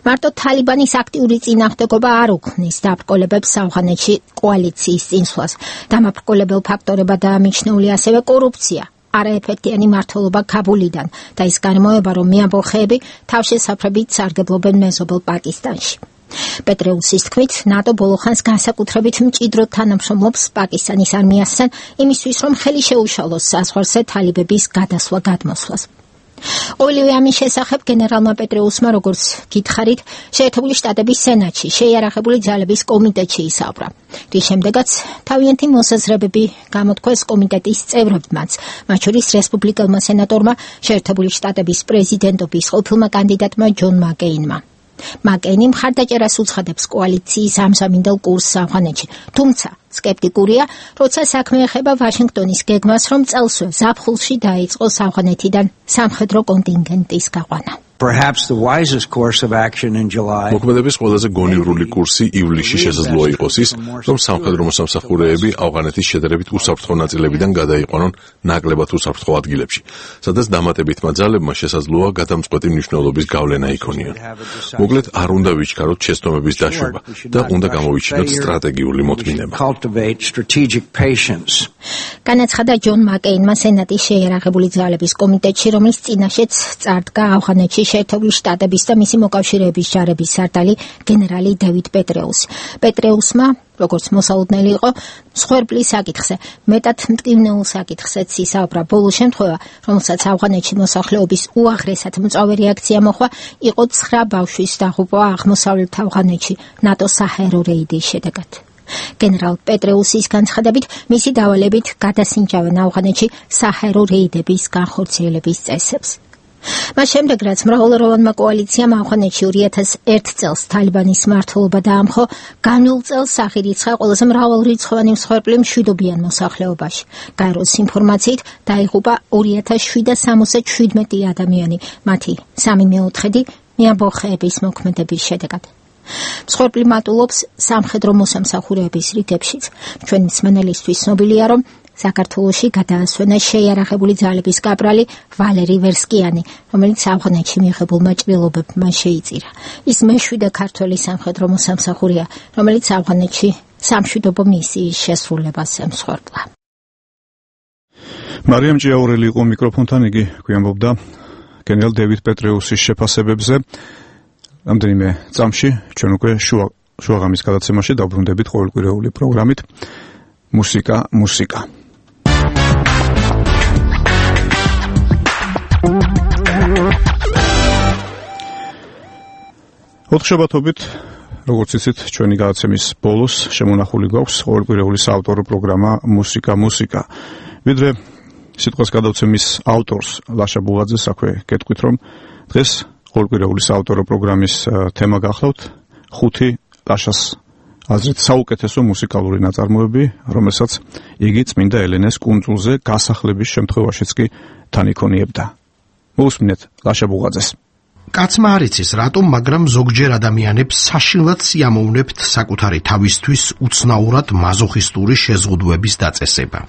მარტო თალიბანის აქტიური წინააღმდეგობა არ უქმნის დაბრკოლებებს ავღანეთში კოალიციის წინსვლას. დამაბრკოლებელ ფაქტორებადაა მიჩნეული ასევე კორუფცია, არაეფექტიანი მმართველობა ქაბულიდან და ის გარემოება, რომ მეამბოხეები თავშესაფრებით სარგებლობენ მეზობელ პაკისტანში. პეტრეუსის თქმით, ნატო ბოლო ხანს განსაკუთრებით მჭიდროდ თანამშრომლობს პაკისტანის არმიასთან იმისთვის, რომ ხელი შეუშალოს საზღვარზე თალიბების გადასვლა-გადმოსვლას. ყოველივე ამის შესახებ გენერალმა პეტრეუსმა, როგორც გითხარით, შეერთებული შტატების სენატში შეიარაღებული ძალების კომიტეტში ისაუბრა. რის შემდეგაც თავიანთი მოსაზრებები გამოთქვეს კომიტეტის წევრებმაც, მათ შორის რესპუბლიკელმა სენატორმა, შეერთებული შტატების პრეზიდენტობის ყოფილმა კანდიდატმა ჯონ მაკეინმა. მაკეინი მხარდაჭერას უცხადებს კოალიციის ამზამინდელ კურსს ავღანეთში, თუმცა სკეპტიკურია, როცა საქმე ეხება ვაშინგტონის გეგმას, რომ წელსვე ზაფხულში დაიწყოს ავღანეთიდან სამხედრო კონტინგენტის გაყვანა. მოქმედების ყველაზე გონივრული კურსი ივლისში შესაძლოა იყოს ის, რომ სამხედრო მოსამსახურეები ავღანეთის შედარებით უსაფრთხო ნაწილებიდან გადაიყვანონ ნაკლებად უსაფრთხო ადგილებში, სადაც დამატებითმა ძალებმა შესაძლოა გადამწყვეტი მნიშვნელობის გავლენა იქონიონ. მოკლედ, არ უნდა ვიჩქაროთ შეცდომების დაშვება და უნდა გამოვიჩინოთ სტრატეგიული მოთმინება. განაცხადა ჯონ მაკეინმა სენატის შეიარაღებული ძალების კომიტეტში, რომლის წინაშეც წარდგა ავღანეთში შეერთებული შტატების და მისი მოკავშირეების ჯარების სარდალი გენერალი დევიდ პეტრეუსი. პეტრეუსმა, როგორც მოსალოდნელი იყო, მსხვერპლის საკითხზე, მეტად მტკივნეულ საკითხზეც ისაუბრა. ბოლო შემთხვევა, რომელსაც ავღანეთში მოსახლეობის უაღრესად მწვავე რეაქცია მოხდა, იყო 9 ბავშვის დაღუპვა აღმოსავლეთ ავღანეთში ნატოს საჰაერო რეიდის შედეგად. გენერალ პეტრეუსის განცხადებით, მისი დავალებით გადასინჯავენ ავღანეთში საჰაერო რეიდების განხორციელების წესებს. მას შემდეგ, რაც მრავალროვანმა კოალიციამ ავღანეთში 2001 წელს თალიბანის მმართველობა დაამხო, განულ წელს აღირიცხა ყველაზე მრავალრიცხოვანი მსხვერპლი მშვიდობიან მოსახლეობაში. გაეროს ინფორმაციით დაიღუპა 2777 ადამიანი, მათი 3/4 მეამბოხეების მოქმედების შედეგად. მსხვერპლი მატულობს სამხედრო მოსამსახურეების რიგებშიც. ჩვენი მსმენელისთვის ცნობილია, რომ საქართველოში გადაასვენეს შეიარაღებული ძალების კაპრალი ვალერი ვერსკიანი, რომელიც ავღანეთში მიღებულმა ჭრილობებმა შეიწირა. ის მეშვიდე ქართველი სამხედრო მოსამსახურეა, რომელიც ავღანეთში სამშვიდობო მისიის შესრულებას ემსხვერპლა. მარიამ ჭიაურელი იყო მიკროფონთან, იგი გვიამბობდა გენერალ დევიდ პეტრეუსის შეფასებებზე. რამდენიმე წამში ჩვენ უკვე შუაღამის გადაცემაში დავბრუნდებით ყოველკვირეული პროგრამით მუსიკა. ოთხშაბათობით, როგორც იცით, ჩვენი გადაცემის ბოლოს შემონახული გვაქვს ყოველკვირეული საავტორო პროგრამა მუსიკა. ვიდრე სიტყვას გადავცემის ავტორს ლაშა ბუღაძეს აქვე გეტყვით, რომ დღეს ყოველკვირეული საავტორო პროგრამის თემა გახლავთ 5 ლაშას აზრით საუკეთესო მუსიკალური ნაწარმოები, რომელსაც იგი წმინდა ელენეს კუნძულზე გასახლების შემთხვევაშიც კი თან იქონიებდა. მოусმინეთ ლაშა ბუღაძეს. კაცმა არ იცის რატომ, მაგრამ ზოგჯერ ადამიანებს საშინლად სიამოვნებთ საკუთარი თავისთვის უცნაურად მაზოხისტური შეზღუდვების დაწესება.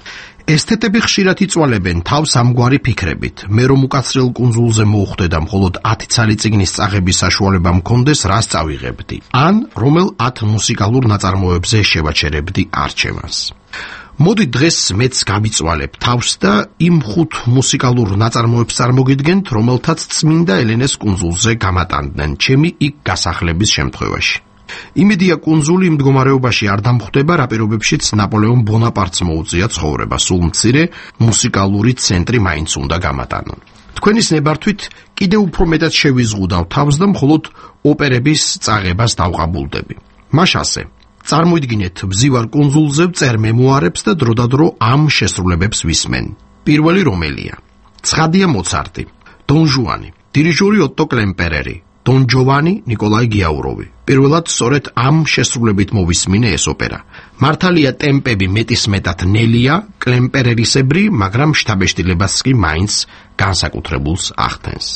ესთეტები ხშირად იწვალებენ თავს ამგვარი ფიქრებით. მე რომ უკაცრიელ კუნძულზე მოვხვდე და მხოლოდ 10 ცალი წიგნის წაღების საშუალება მქონდეს, რას წავიღებდი? ან რომელ 10 მუსიკალურ ნაწარმოებზე შევაჩერებდი არჩევანს. მოდი დღეს მეც გამიწვალებ თავს და იმ 5 მუსიკალურ ნაწარმოებს წარმოგიდგენთ, რომელთაც წმინდა ელენეს კუნძულზე გამატანდნენ ჩემი იქ გასახლების შემთხვევაში. იმედია კუნძული იმ მდგომარეობაში არ დამხვდება, რა პირობებშიც ნაპოლეონ ბონაპარტს მოუწია ცხოვრება, სულ მცირე მუსიკალური ცენტრი მაინც უნდა გამატანონ. თქვენის ნებართვით კიდევ უფრო მეტად შევიზღუდავ თავს და მხოლოდ ოპერების წაღებას დავყაბულდები. მაშ ასე წარმოიდგინეთ, ვზივარ კუნძულზე, ვწერ მემუარებს და დროდადრო ამ შესრულებებს ვისმენ. პირველი რომელია? ცხადია მოცარტი, დონ ჟუანი, დირიჟორი ოტო კლემპერერი, დონ ჯოვანი ნიკოლაი გიაუროვი. პირველად სწორედ ამ შესრულებით მოვისმინე ეს ოპერა. მართალია ტემპები მეტისმეტად ნელია, კლემპერერისებრი, მაგრამ შთაბეჭდილებას კი მაინც განსაკუთრებულს ახდენს.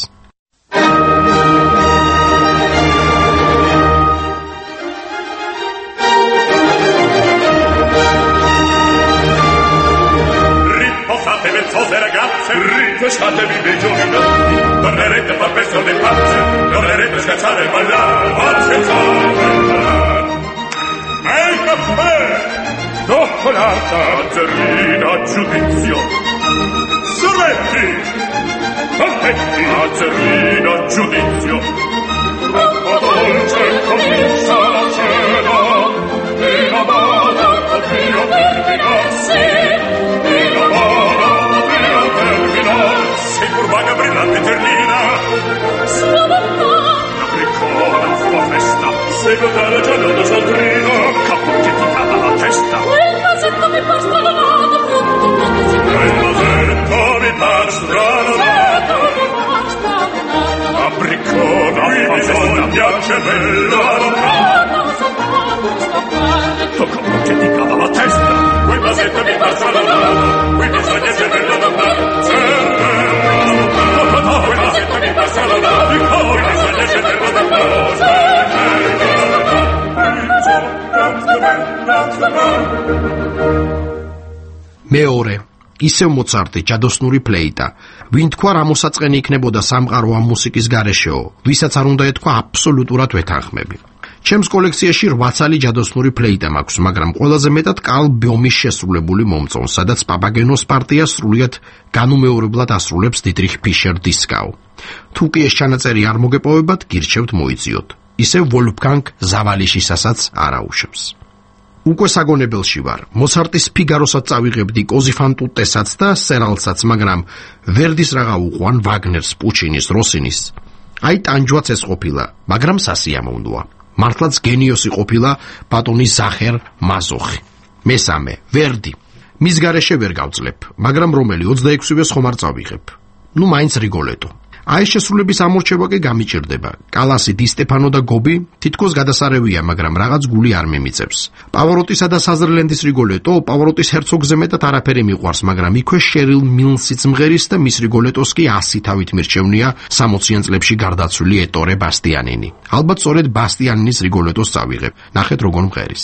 Lasciatevi dei giorni notti, tornerete a far persone pazze, tornerete a scazzare e ballare, a scherzare e ballare. Ma il caffè, cioccolata, azzerrina, giudizio. Sorbetti, confetti, azzerrina, giudizio. Troppo dolce comincia la cena, e la mala potria terminarsi, e la mala potria terminarsi, curvaga brillante terlina. Sulla bocca, la briccona, sua festa, seguita la giornata saldrina, capocchi ti cava la testa. Quel vasetto mi par stranonato, brutto, quel vasetto mi par stranonato, la briccona, mi piace bella, capocchi ti cava la testa. Quel vasetto mi par stranonato, quel bisogna essere bella da fare. Quel vasetto mi par stranonato, quel bisogna essere bella da fare. მეორე ისევ მოცარტი, ჯადოსნური ფლეიტა. ვინ თქვა რა მოსაწყენი იქნებოდა სამყარო ამ მუსიკის გარეშეო, ვისაც არ უნდა ეთქვა აბსოლუტურად ვეთანხმები. ჩემს კოლექციაში 8 ცალი ჯადოსნური ფლეიტა მაქვს, მაგრამ ყველაზე მეტად კარლ ბიომის შესრულებული მომწონს, სადაც პაპაგენოს პარტია სრულიად განუმეორებლად ასრულებს დიტრიხ ფიშერ დისკაუ. თუ კი ეს ჩანაწერი არ მოგეპოვებათ, გირჩევთ მოიძიოთ. ისევ ვოლფგანგ ზავალიშისასაც არაუშავს. უკვე საგონებელში ვარ. მოცარტის ფიგაროსაც წავიღებდი, კოზი ფან ტუტესაც და სერალსაც, მაგრამ ვერდის რაღა უყვან, ვაგნერს, პუჩინის, როსინის. აი ტანჯვაც ეს ყოფილა, მაგრამ სასიამოვნოა. მართლაც გენიოსი ყოფილა ბატონი ზახერ მაზოხი. მესამე, ვერდი. მის გარეშე ვერ გავძლებ, მაგრამ რომელი 26-ვეს ხომ არ წავიღებ. ნუ მაინც რიგოლეტო. აი შესრულების ამორჩევა კი გამიჭირდება. კალასი, დი სტეფანო და გობი თითქოს გადასარევია, მაგრამ რაღაც გული არ მიმიწევს. პავაროტისა და საზრლენდის რიგოლეტო, პავაროტის ჰერცოგზე მეტად არაფერი მიყვარს, მაგრამ იქვე შერილ მილსიც მღერის და მის რიგოლეტოს კი 100 თავით მირჩევნია 60-იან წლებში გარდაცვლილი ეტორე ბასტიანინი. ალბათ სწორედ ბასტიანინის რიგოლეტოს წავიღებ. ნახეთ როგორ მღერის.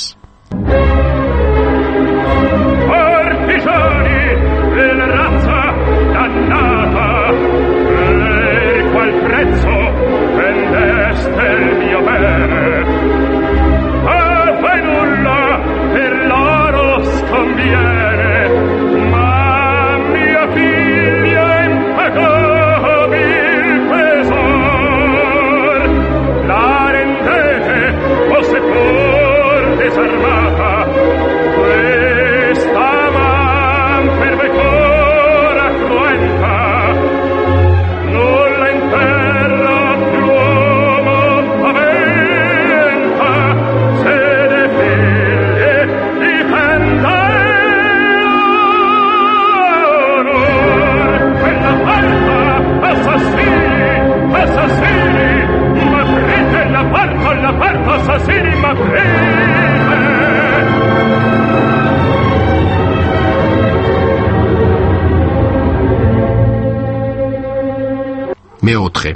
მეოთხე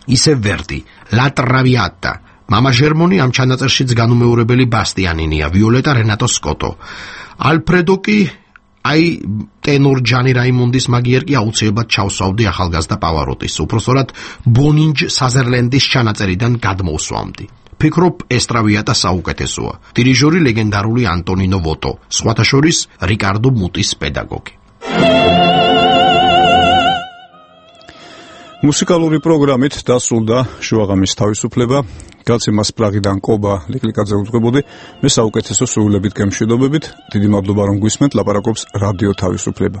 ისე ვერდი, La Traviata, მამა ჟერმონი ამ ჩანაწერშიც განუმეორებელი ბასტიანინია, ვიოლეტა რენატო სკოტო. ალფრედო კი აი ტენორ ჯანი რაიმონდის მაგიერ კი აუცილებლად ჩავსვავდი ახალგაზრდა პავაროტის, უпроსტად ბონინჯ საზერლენდის ჩანაწერიდან გადმოვსვამდი. ფიქრობ ესტრავიატა საუკეთესოა. დირიჟორი ლეგენდარული ანტონინო ვოტო, სხვათა შორის რიკარდო მუტის პედაგოგი. მუსიკალური პროგრამით დასრულდა შუაღამის თავისუფლება. გაცემას პრაღიდან კობა ლიკლიკაძე უძღვებოდი. მე საუკეთესო სრულებით გემშვიდობებით. დიდი მადლობა რომ გვისმენთ. ლაპარაკობს რადიო თავისუფლება.